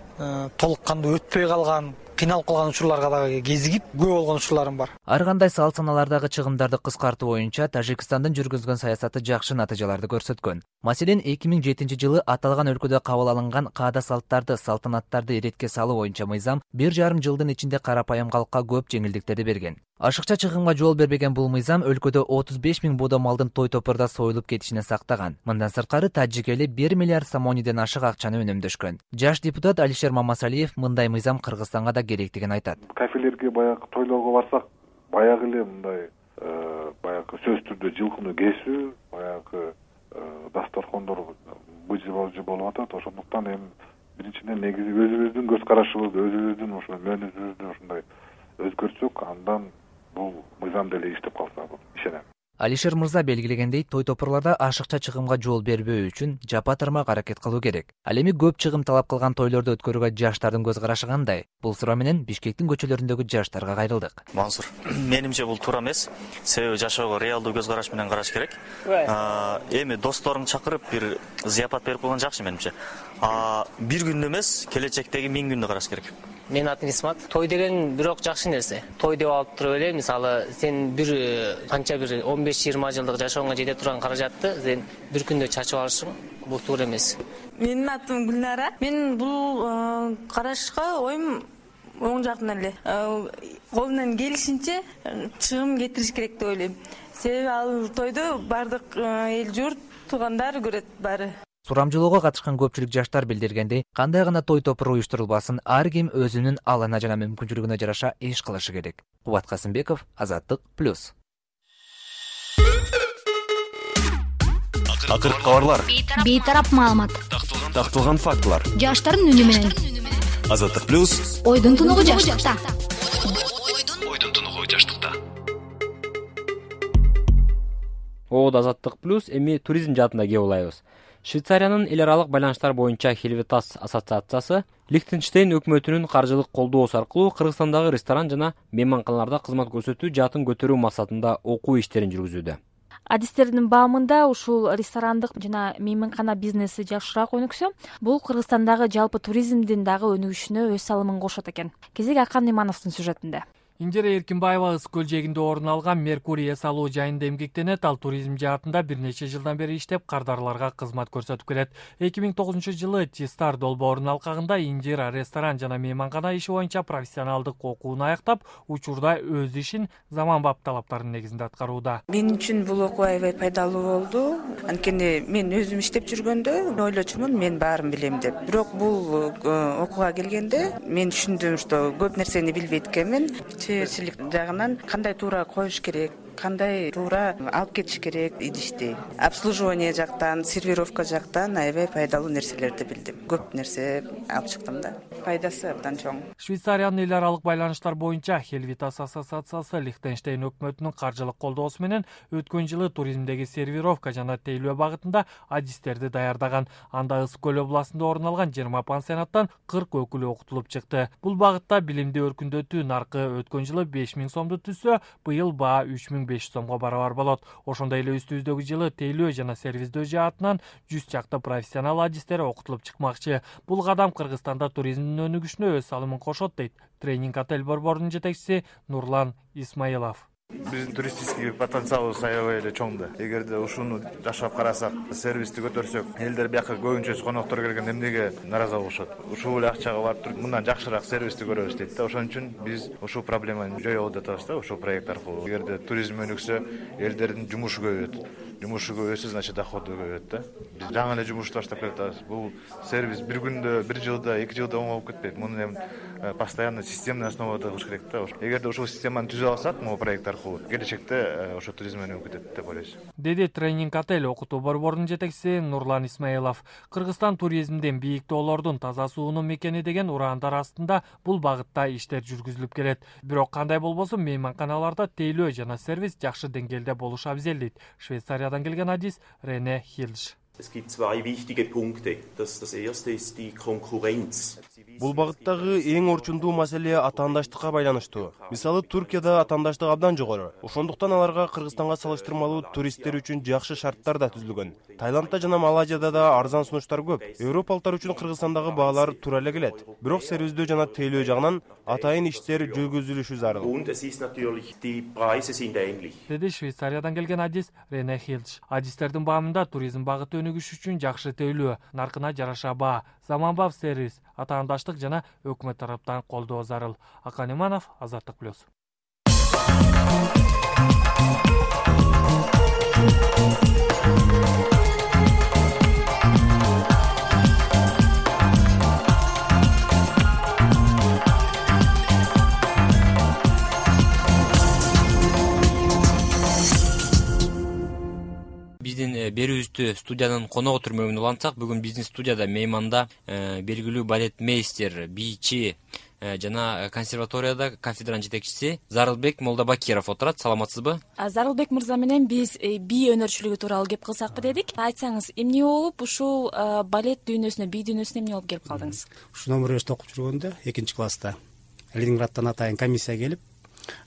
Speaker 23: толук кандуу өтпөй калган, кыйналып калган учурларга дагы кезигип көп болгон учурларым бар.
Speaker 6: Ар кандай салт саналардагы чыгымдарды кыскартуу боюнча Тажикстандын жүргүзгөн саясаты жакшы натыйжаларды көрсөткөн. Маселен, эки миң жетинчи жылы аталган өлкөдө кабыл алынган каада салттарды, салтанаттарды иретке салуу боюнча мыйзам бир жарым жылдын ичинде карапайым калкка көп жеңилдиктерди берген. Ашыкча чыгымга жол бербеген бул мыйзам өлкөдө отуз беш миң буудо малдын той топурда союлуп кетишине сактаган. Мындан сырткары Таджик эли бир миллиард сомониден ашык акчаны үнөмдөшкөн. Жаш депутат Алишер Мамасалиев мындай мыйзам Кыргызстанга да керектигин айтат.
Speaker 5: Кафелерге баягы тойлорго барсак, баягы эле мындай баягы сөз түрдө жылкыны кесүү, баягы дасторкондор быжы-быжы болуп атат. Ошондуктан эми биринчиден негизи өзүбүздүн көз карашыбызды, өзүбүздүн ушул мөөнөтүбүздү ушундай өзгөртсөк, андан бул мыйзам деле иштеп калса болот, ишенем.
Speaker 6: Алишер мырза белгилегендей, той топурларда ашыкча чыгымга жол бербөө үчүн жапа тармак аракет кылуу керек. Ал эми көп чыгым талап кылган тойлорду өткөрүүгө жаштардын көз карашы кандай? Бул суроо менен Бишкектин көчөлөрүндөгү жаштарга кайрылдык.
Speaker 7: Мансур, менимче бул туура эмес. Себеби жашоого реалдуу көз караш менен караш керек. Эми досторун чакырып бир зыяпат берип койгон жакшы менимче. Бир күндө эмес, келечектеги миң күндө караш керек.
Speaker 9: Менин атым Исмат. Той деген бирок жакшы нерсе. Той деп алып туруп эле, мисалы, сен бир канча бир он беш жыйырма жылдык жашооңо жете турган каражатты сен бир күндө чачып алышың, бул туура эмес.
Speaker 10: Менин атым Гүлнара. Мен бул карашка оюм оң жактан эле. Колунан келишинче чыгым кетириш керек деп ойлойм. Себеби ал тойду бардык эл журт, туугандар көрөт баары.
Speaker 6: Сурамжылоого катышкан көпчүлүк жаштар билдиргендей, кандай гана той топур уюштурулбасын, ар ким өзүнүн алына жана мүмкүнчүлүгүнө жараша иш кылышы керек. Кубат Касымбеков, Азаттык плюс.
Speaker 24: Акыркы кабарлар.
Speaker 25: Бейтарап маалымат.
Speaker 24: Такталган фактылар.
Speaker 25: Жаштардын үнү менен.
Speaker 24: Азаттык плюс.
Speaker 25: Ойдун тунугу жаштыкта.
Speaker 24: Ойдун тунугу жаштыкта.
Speaker 19: Оод Азаттык плюс эми туризм жаатында кеп улайбыз. Швейцариянын эл аралык байланыштар боюнча Хельветас ассоциациясы Лихтенштейн өкмөтүнүн каржылык колдоосу аркылуу Кыргызстандагы ресторан жана мейманканаларда кызмат көрсөтүү жаатын көтөрүү максатында окуу иштерин жүргүзүүдө.
Speaker 20: Адистердин баамында ушул ресторандык жана мейманкана бизнеси жакшыраак өнүксө, бул Кыргызстандагы жалпы туризмдин дагы өнүгүшүнө өз салымын кошот экен. Кезек Акан Имановдун сюжетинде.
Speaker 12: Индира Эркинбаева ыс көл жээгинде орун алган Меркурий эс алуу жайында эмгектенет. Ал туризм жаатында бир нече жылдан бери иштеп, кардарларга кызмат көрсөтүп келет. эки миң тогузунчу жылы Тистар долбоорунун алкагында Индира ресторан жана мейманкана иши боюнча профессионалдык окууну аяктап, учурда өз ишин заманбап талаптарынын негизинде аткарууда.
Speaker 26: Мен үчүн бул окуу аябай пайдалуу болду. Анткени мен өзүм иштеп жүргөндө ойлочумун мен баарын билем деп. Бирок бул окууга келгенде мен түшүндүм, что көп нерсени билбейт экенмин. Чыгычылык жагынан кандай туура коюш керек, кандай туура алып кетиш керек идишти. Обслуживание жактан, сервировка жактан аябай пайдалуу нерселерди билдим. Көп нерсе алып чыктым да. Пайдасы абдан чоң.
Speaker 12: Швейцариянын эл аралык байланыштар боюнча Хельветас ассоциациясы Лихтенштейн өкмөтүнүн каржылык колдоосу менен өткөн жылы туризмдеги сервировка жана тейлөө багытында адистерди даярдаган. Анда Ыс көл областында орун алган жыйырма пансионаттан кырк өкүлү окутулуп чыкты. Бул багытта билимди өркүндөтүү наркы өткөн жылы беш миң сомду түзсө, быйыл баа үч миң беш жүз сомго барабар болот. Ошондой эле үстүбүздөгү жылы тейлөө жана сервиздөө жаатынан жүз чакты профессионал адистер окутулуп чыкмакчы. Бул кадам Кыргызстанда туризмдин өнүгүшүнө өз салымын кошот дейт тренинг отель борборунун жетекчиси Нурлан Исмаилов.
Speaker 27: Биздин туристический потенциалыбыз аябай эле чоң да. Эгерде ушуну жашап карасак, сервисти көтөрсөк, элдер бияка көбүнчөсү коноктор келген эмнеге наразы болушат? Ушул эле акчага барып туруп, мындан жакшыраак сервисти көрөбүз дейт да. Ошон үчүн биз ушул проблеманы жоёбуз деп атабыз да, ушул проект аркылуу. Эгерде туризм өнүксө, элдердин жумушу көбөйөт. жумушу көбөйсө, значит доходу көбөйөт да. Биз жаңы эле жумушты баштап келатабыз. Бул сервис бир күндө, бир жылда, эки жылда оңолуп кетпейт. Муну эми постоянно системный основада кылыш керек да. Эгерде ушул системаны түзүп алсак, могу проект аркылуу келечекте ошо туризм өнүгүп кетет деп ойлойбуз.
Speaker 12: Деди тренинг отель окутуу борборунун жетекчиси Нурлан Исмаилов. Кыргызстан туризмдин бийик тоолордун таза суунун мекени деген ураандар астында бул багытта иштер жүргүзүлүп келет. Бирок кандай болбосун мейманканаларда тейлөө жана сервис жакшы деңгээлде болушу абзел дейт Швейцариядан келген адис Рене Хилш.
Speaker 11: Es gibt zwei wichtige Punkte. Das, das erste ist die Konkurrenz.
Speaker 13: Бул багыттагы эң орчундуу маселе атаандаштыкка байланыштуу. Мисалы Туркияда атаандаштык абдан жогору. Ошондуктан аларга Кыргызстанга салыштырмалуу туристтер үчүн жакшы шарттар да түзүлгөн. Таиландда жана Малайзияда да арзан сунуштар көп. Европалыктар үчүн Кыргызстандагы баалар туура эле келет. Бирок сервиздөө жана тейлөө жагынан атайын иштер жүргүзүлүшү зарыл.
Speaker 11: Und es ist natürlich die Preise sind ähnlich.
Speaker 12: Деди Швейцариядан келген адис Рене Хилш. Адистердин баамында туризм багыты өнүгүш үчүн жакшы тейлөө, наркына жараша баа, заманбап сервис, атаандаштык жана өкмөт тараптан колдоо зарыл. Акан Иманов, Азаттык плюс.
Speaker 19: Биздин берүүбүздү студиянын коногу түрмөгүнө улантсак, бүгүн биздин студияда мейманда белгилүү балетмейстер, бийчи жана консерваторияда кафедранын жетекчиси Зарылбек Молдабакиров отурат. Саламатсызбы?
Speaker 14: Зарылбек мырза менен биз бий өнөрчүлүгү тууралуу кеп кылсакпы дедик. Айтсаңыз, эмне болуп ушул балет дүйнөсүнө, бий дүйнөсүнө эмне болуп келип калдыңыз?
Speaker 15: Ушу номер окуп жүргөндө экинчи класста Ленинградтан атайын комиссия келип,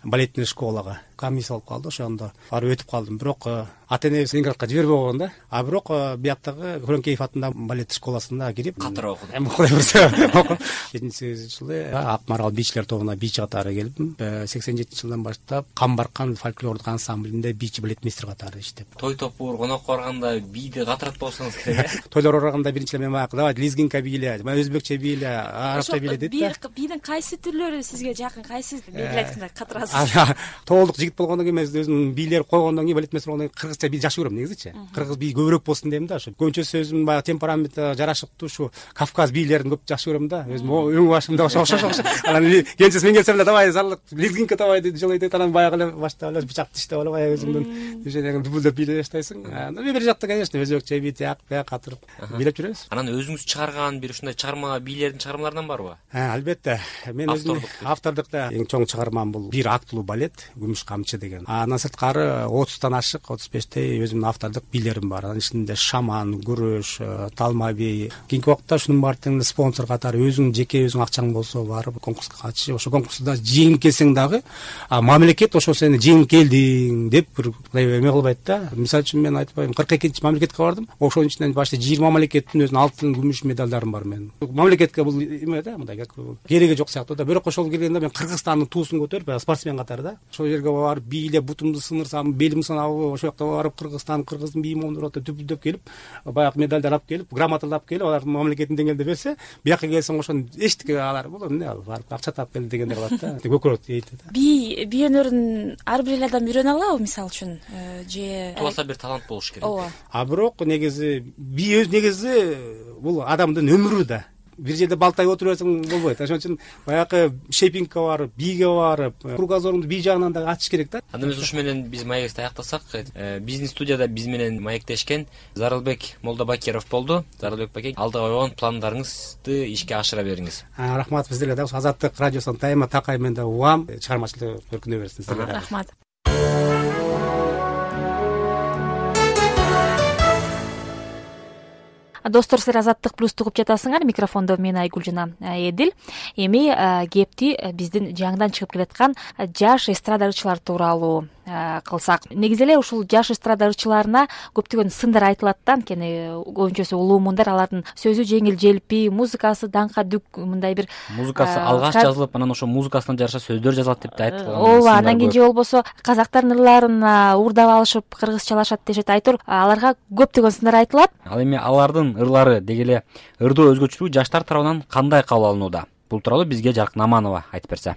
Speaker 15: балетный школага комиссия болуп калды. Ошондо барып өтүп калдым. Бирок ата энебиз Ленинградка жибербей койгон да. А бирок бияктагы Хөрөнкеев атындагы балет школасында кирип
Speaker 19: катыра окудум.
Speaker 15: Эми кудай берсе окуп. жетинчи сегизинчи жылы Ак Марал бийчилер тобуна бийчи катары келдим. сексен жетинчи жылдан баштап Кам Баркан фольклордук ансамблинде бийчи балетмейстер катары иштеп.
Speaker 19: Той топур, конокко барганда бийди катырат болсоңуз керек э?
Speaker 15: Тойлор барганда биринчи эле мен баягы давай лезгинка бийле, өзбекче бийле, арабча бийле дейт да.
Speaker 14: Бийдин кайсы түрлөрү сизге жакын, кайсы белгилеп айтканда катырасыз?
Speaker 15: Тоолдук жигит болгондон кийин мен өзүмдүн бийлер койгондон кийин балетмейстер болгондон кийин кыргызча бий жакшы көрөм негизичи. Кыргыз бий көбүрөөк болсун дейм да. Ошо көбүнчө өзүм баягы темпераменти жарашыктуу ушу Кавказ бийлерин көп жакшы көрөм да. Өзүм өң башымда ошо ошо ошо. Анан кенчеси мен келсем эле давай зарлык лезгинка давай деп жылайт, анан баягы эле баштап эле бычак тиштеп алып баягы өзүңдүн движениеңди дүбүлдөп бийлей баштайсың. Анан бир жакта, конечно, өзбекче бий тияк бияк катырып бийлеп жүрөбүз.
Speaker 19: Анан өзүңүз чыгарган бир ушундай чыгарма бийлердин чыгармаларынан барбы?
Speaker 15: Ha, албетте. Мен өзүм автордукта эң чоң чыгармам бул бир актылуу балет Күмүш камчы деген. Андан сырткары отуздан ашык, отуз бештей өзүмдүн автордук бийлерим бар. Анын ичинде шаман, күрөш, талма бий. Кийинки убакта ушунун баардыгын спонсор катары өзүң жеке өзүң акчаң болсо барып конкурска катышып, ошо конкурста жеңип келсең дагы мамлекет ошо сени жеңип келдиң деп бир эме кылбайт да. Мисалы үчүн мен айтпайм, кырк экинчи мамлекетке бардым. Ошонун ичинен башта жыйырма мамлекеттин өзүнүн алтын, күмүш медалдарым бар менин. Мамлекетке бул эме да, мындай кереги жок сыяктуу да. Бирок ошол келгенде мен Кыргызстандын туусун көтөрүп, спортсмен катары да. Ошол жерге барып бийлеп, бутумду сынырсам, белим сынабы, ошол жакта барып Кыргызстан, Кыргыздын бийи момдур атып дүпүлдөп келип, баягы медалдар алып келип, грамоталар алып келип, алар мамлекеттин деңгээлде берсе, бияка келсең ошону эчтеке алар бул эмне барып акча таап келди дегендер болот да. Көкөрөт дейт да.
Speaker 14: Би бий өнөрүн ар бир адам үйрөнө алабы, мисалы үчүн, же
Speaker 19: туаса бир талант болуш керек.
Speaker 14: Ооба.
Speaker 15: А бирок негизи бий өз негизи бул адамдын өмүрү да. Бир жерде балтай отуруп берсең болбойт. Ошон үчүн баягы шейпингке барып, бийге барып, кругозоруңду бий жагынан да ачыш керек да.
Speaker 19: Анда эмес ушу менен биз маекти аяктасак, биздин студияда биз менен маектешкен Зарылбек Молдабакиров болду. Зарылбек баке, алдыга койгон пландарыңызды ишке ашыра бериңиз.
Speaker 15: Рахмат, сиздерге да Азаттык радиосунун тайма такай мен да угам, чыгармачылык өркүнө берсин сиздерге.
Speaker 14: Рахмат. Достор, силер Азаттык плюсту угуп жатасыңар. Микрофондо мен Айгүл жана Эдил. Эми кепти биздин жаңыдан чыгып келаткан жаш эстрада ырчылар тууралуу кылсак. Негизи эле ушул жаш эстрада ырчыларына көптөгөн сындар айтылат да, анткени көбүнчөсү улуу мундар, алардын сөзү жеңил желпи, музыкасы даңка дүк, мындай бир
Speaker 19: музыкасы алгач жазылып, анан ошо музыкасына жараша сөздөр жазылат деп да айтып калган.
Speaker 14: Ооба, андан кийин же болбосо казактардын ырларын уурдап алышып кыргызчалашат дешет. Айтор аларга көптөгөн сындар айтылат.
Speaker 19: Ал эми алардын ырлары деги эле ырдоо өзгөчөлүгү жаштар тарабынан кандай кабыл алынууда? Бул тууралуу бизге Жаркын Аманова айтып берсе.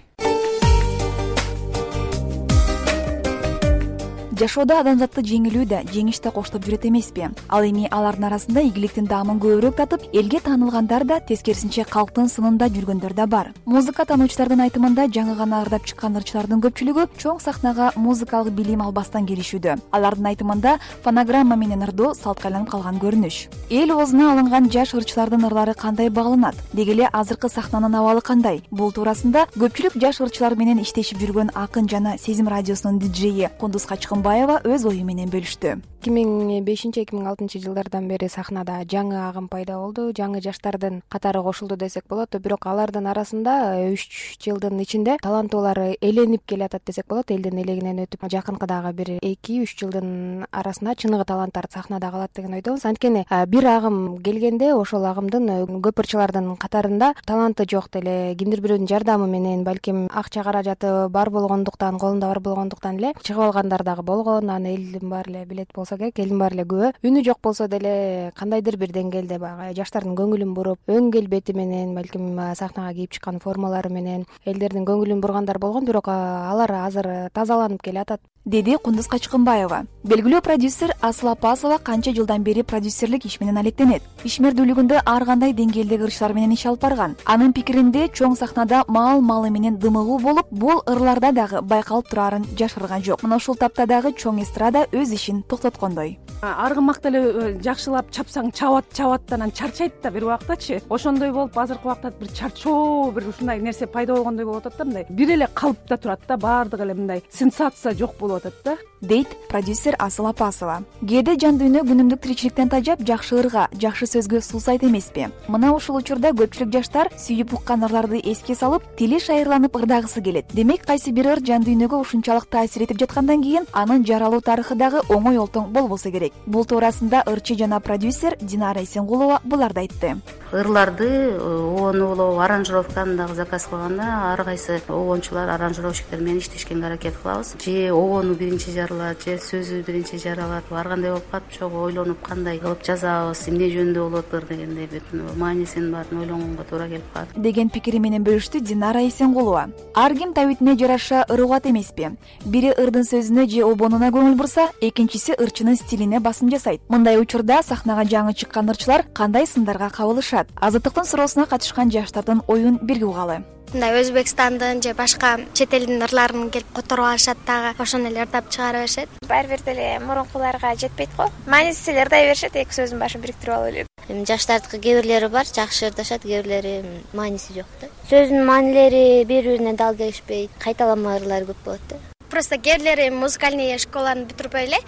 Speaker 1: Жашоодо адамзатты жеңилүү да, жеңиш да коштоп жүрөт эмеспи? Ал эми алардын арасында ийгиликтин даамын көбүрөөк татып, элге таанылгандар да, тескерисинче калктын сынында жүргөндөр да бар. Музыка таануучулардын айтымында жаңы гана ырдап чыккан ырчылардын көпчүлүгү чоң сахнага музыкалык билим албастан келишүүдө. Алардын айтымында фонограмма менен ырдоо салтка айланып калган көрүнүш. Эл оозуна алынган жаш ырчылардын ырлары кандай багланат? Деги эле азыркы сахнанын абалы кандай? Бул туурасында көпчүлүк жаш ырчылар менен иштешип жүргөн Акын жана Сезим радиосунун диджейи Кундуз Качкынбаева өз ою менен бөлүштү.
Speaker 3: эки миң бешинчи эки миң алтынчы жылдардан бери сахнада жаңы агым пайда болду, жаңы жаштардын катары кошулду десек болот. Бирок алардын арасында үч жылдын ичинде таланттуулар эленип келатат десек болот. Элдин элегинен өтүп, жакынкы дагы бир эки үч жылдын арасында чыныгы таланттар сахнада калат деген ойдобуз. Анткени бир агым келгенде ошол агымдын көп ырчылардын катарында таланты жок деле, кимдир бирөөнүн жардамы менен, балким акча каражаты бар болгондуктан, колунда бар болгондуктан эле чыгып алгандар дагы болгон. Аны элдин баары эле билет болсо керек, элдин баары эле күбө. Үнү жок болсо деле кандайдыр бир деңгээлде баягы жаштардын көңүлүн буруп, өң келбети менен, балким сахнага кийип чыккан формалары менен элдердин көңүлүн бургандар болгон. Бирок алар азыр тазаланып келатат, деди Кундуз Качкынбаева. Белгилүү продюсер Асыл Апасова канча жылдан бери продюсерлик иш менен алектенет. Ишмердүүлүгүндө ар кандай деңгээлдеги ырчылар менен иш алып барган. Анын пикиринде чоң сахнада маал малы менен дымыгуу болуп, бул ырларда дагы байкалып турарын жашырган жок. Мына ушул тапта дагы чоң эстрада өз ишин токтоткондой.
Speaker 16: Аргымакта эле жакшылап чапсаң чабат чабат анан чарчайт да бир убактачы. Ошондой болуп азыркы убакта бир чарчоо, бир ушундай нерсе пайда болгондой болуп атат да, мындай бир эле калыпта турат да, баардыгы эле мындай сенсация жок болуп атат да,
Speaker 1: дейт продюсер Асыл Апасова. Кээде жан дүйнө күнүмдүк тиричиликтен тажап, жакшы ырга, жакшы сөзгө суусайт эмеспи? Мына ушул учурда көпчүлүк жаштар сүйүп уккан ырларды эске салып, тили шайырланып ырдагысы келет. Демек, кайсы бир ыр жан дүйнөгө ушунчалык таасир этип жаткандан кийин анын жаралуу тарыхы дагы оңой олтоң болбосо керек. Бул туурасында ырчы жана продюсер Динара Эсенгулова буларды айтты.
Speaker 17: Ырларды обонуулоо, аранжировканы дагы заказ кылганда ар кайсы обончулар, аранжировщиктер менен иштешкенге аракет кылабыз. Же обону биринчи жаралат, же сөзү биринчи жаралат. Ар кандай болуп калат, чогуу ойлонуп кандай кылып жазабыз, эмне жөнүндө болуп атыр дегендей бүтүн маанисин баарын ойлонгонго туура келип калат
Speaker 1: деген пикири менен бөлүштү Динара Эсенгулова. Ар ким табитине жараша ыр угат эмеспи? Бири ырдын сөзүнө же обонуна көңүл бурса, экинчиси ырчынын стилине басым жасайт. Мындай учурда сахнага жаңы чыккан ырчылар кандай сындарга кабылышат? Азаттыктын суроосуна катышкан жаштардын оюн бирге угалы.
Speaker 18: Мындай Өзбекстандын же башка чет элдин ырларын келип которуп алышат дагы, ошону эле ырдап чыгара беришет.
Speaker 21: Баары бир деле мурункуларга жетпейт го. Мааниси эле ырдай беришет, эки сөздүн башын бириктирип алып эле.
Speaker 18: Эми жаштардыкы кээ бирлери бар, жакшы ырдашат, кээ бирлери мааниси жок да. Сөздүн маанилери бири-бирине дал келишпейт, кайталанма ырлар көп болот да. Просто кээ бирлери музыкальный школаны бүтүрбөй эле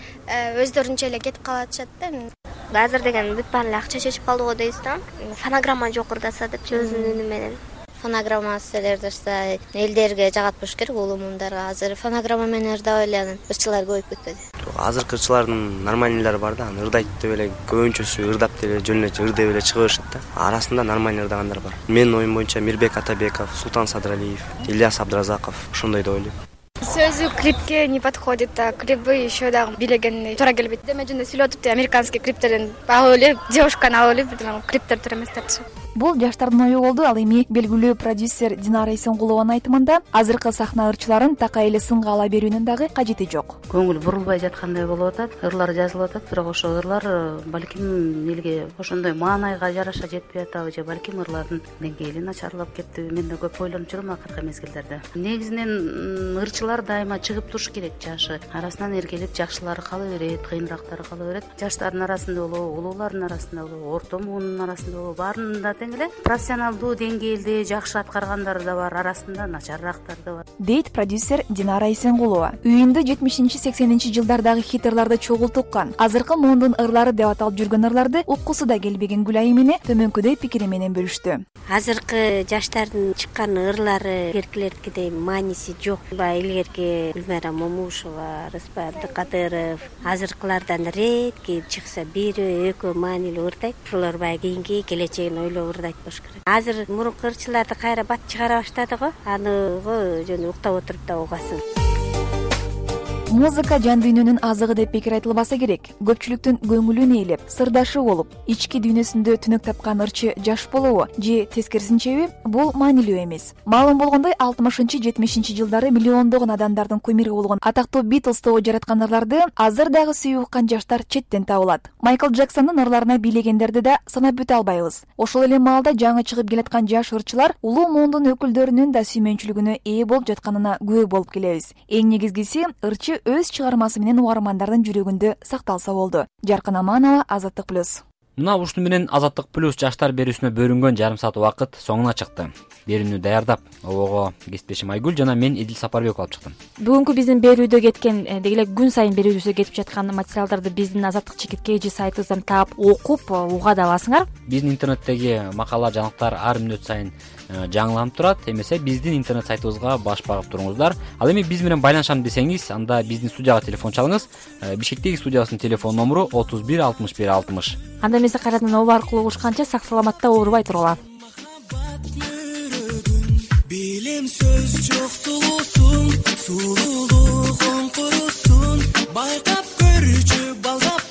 Speaker 18: өздөрүнчө эле кетип калатышат да. Азыр деген бүт баары эле акча чечип калды го дейсиз да. Фонограмма жок ырдаса деп сөзүнүн үнү менен. Фонограммасы ырдаса элдерге жагат болуш керек, улумундарга. Азыр фонограмма менен ырдабай эле анан ырчылар көбөйүп кетпеди.
Speaker 22: Азыркы ырчылардын нормальныйлары бар да, аны ырдайт деп эле көбүнчөсү ырдап деле жөн эле ырдеп эле чыга беришет да. Арасында нормальный ырдагандар бар. Менин оюм боюнча Мирбек Атабеков, Султан Садралиев, Ильяс Абдразаков ошондой деп ойлойм.
Speaker 18: Сөзү клипке не подходит, а клипы еще дагы билегенди туура келбейт. Деме жөнүндө сүйлөп атып, американский клиптерден алып эле, девушканы алып эле, клиптер туура эмес депчи.
Speaker 1: Бул жаштардын ою болду. Ал эми белгилүү продюсер Динара Эсенгулованын айтымында азыркы сахна ырчыларын такай эле сынга ала берүүнүн дагы кажети жок.
Speaker 17: Көңүл бурулбай жаткандай болуп атат, ырлар жазылып атат, бирок ошо ырлар балким элге ошондой маанайга жараша жетпей атабы, же балким ырлардын деңгээли начарлап кеттиби, мен да көп ойлонуп жүрөм акыркы мезгилдерде. Негизинен ырчылар дайыма чыгып туруш керек, жашы арасынан эркелеп жакшылары кала берет, кыйыныраактары кала берет. Жаштардын арасында болобу, улуулардын арасында болобу, орто муунун арасында болобу, баарында эле профессионалдуу деңгээлде жакшы аткаргандар да бар, арасында начарраактар да бар,
Speaker 1: дейт продюсер Динара Эсенгулова. Үйүндө жетимишинчи сексенинчи жылдардагы хит ырларды чогултуп уккан, азыркы муундун ырлары деп аталып жүргөн ырларды уккусу да келбеген Гүлай эмне төмөнкүдөй пикири менен бөлүштү.
Speaker 18: Азыркы жаштардын чыккан ырлары эркелердикидей мааниси жок. Илгерки Гүлмайра Момушева, Рыспай Абдыкадыров азыркылардан редки чыкса бири экөө маанилүү ырдайт. Ошолор баягы кийинки келечегин ойлоп ырдайт болуш керек. Азыр мурунку ырчыларды кайра бат чыгара баштады го, аны жөн уктап отуруп да угасың.
Speaker 1: музыка жан дүйнөнүн азыгы деп пикир айтылбаса керек. Көпчүлүктүн көңүлүн ээлеп, сырдашы болуп, ички дүйнөсүндө түнөк тапкан ырчы жаш болобу же тескерисинчеби, бул маанилүү эмес. Маалым болгондой, алтымышынчы жетимишинчи жылдары миллиондогон адамдардын кумири болгон атактуу Beatles тобу жараткандарды азыр дагы сүйүп уккан жаштар четтен табылат. Майкл Джексондун ырларына бийлегендерди да санап бүтө албайбыз. Ошол эле маалда жаңы чыгып келаткан жаш ырчылар улуу муундун өкүлдөрүнүн да сүймөнчүлүгүнө ээ болуп жатканына күбө болуп келебиз. Эң негизгиси, ырчы өз чыгармасы менен угармандардын жүрөгүндө сакталса болду. Жаркын Аманова, Азаттык плюс.
Speaker 19: Мына ушуну менен Азаттык плюс жаштар берүүсүнө бөлүнгөн жарым саат убакыт соңуна чыкты. Берүүнү даярдап, обого кесиптешим Айгүл жана мен Эдил Сапарбеков алып чыктым.
Speaker 20: Бүгүнкү биздин берүүдө кеткен, деги эле күн сайын берүүбүзгө кетип жаткан материалдарды биздин Азаттык чекиткейжи сайтыбыздан таап, окуп, уга да аласыңар.
Speaker 19: Биздин интернеттеги макала, жаңылыктар ар мүнөт сайын жаңыланып турат. Эмесе биздин интернет сайтыбызга баш багып туруңуздар. Ал эми биз менен байланышам десеңиз, анда биздин студияга телефон чалыңыз. Бишкектеги студиябыздын телефон номеру отуз бир алтымыш бир алтымыш.
Speaker 20: Анда эмесе кайрадан оба аркылуу угушканча сак саламатта оорубай туруңар.
Speaker 2: Билем сөз жок сулуусун, сулуулугуң курусун, байкап көрчү балдап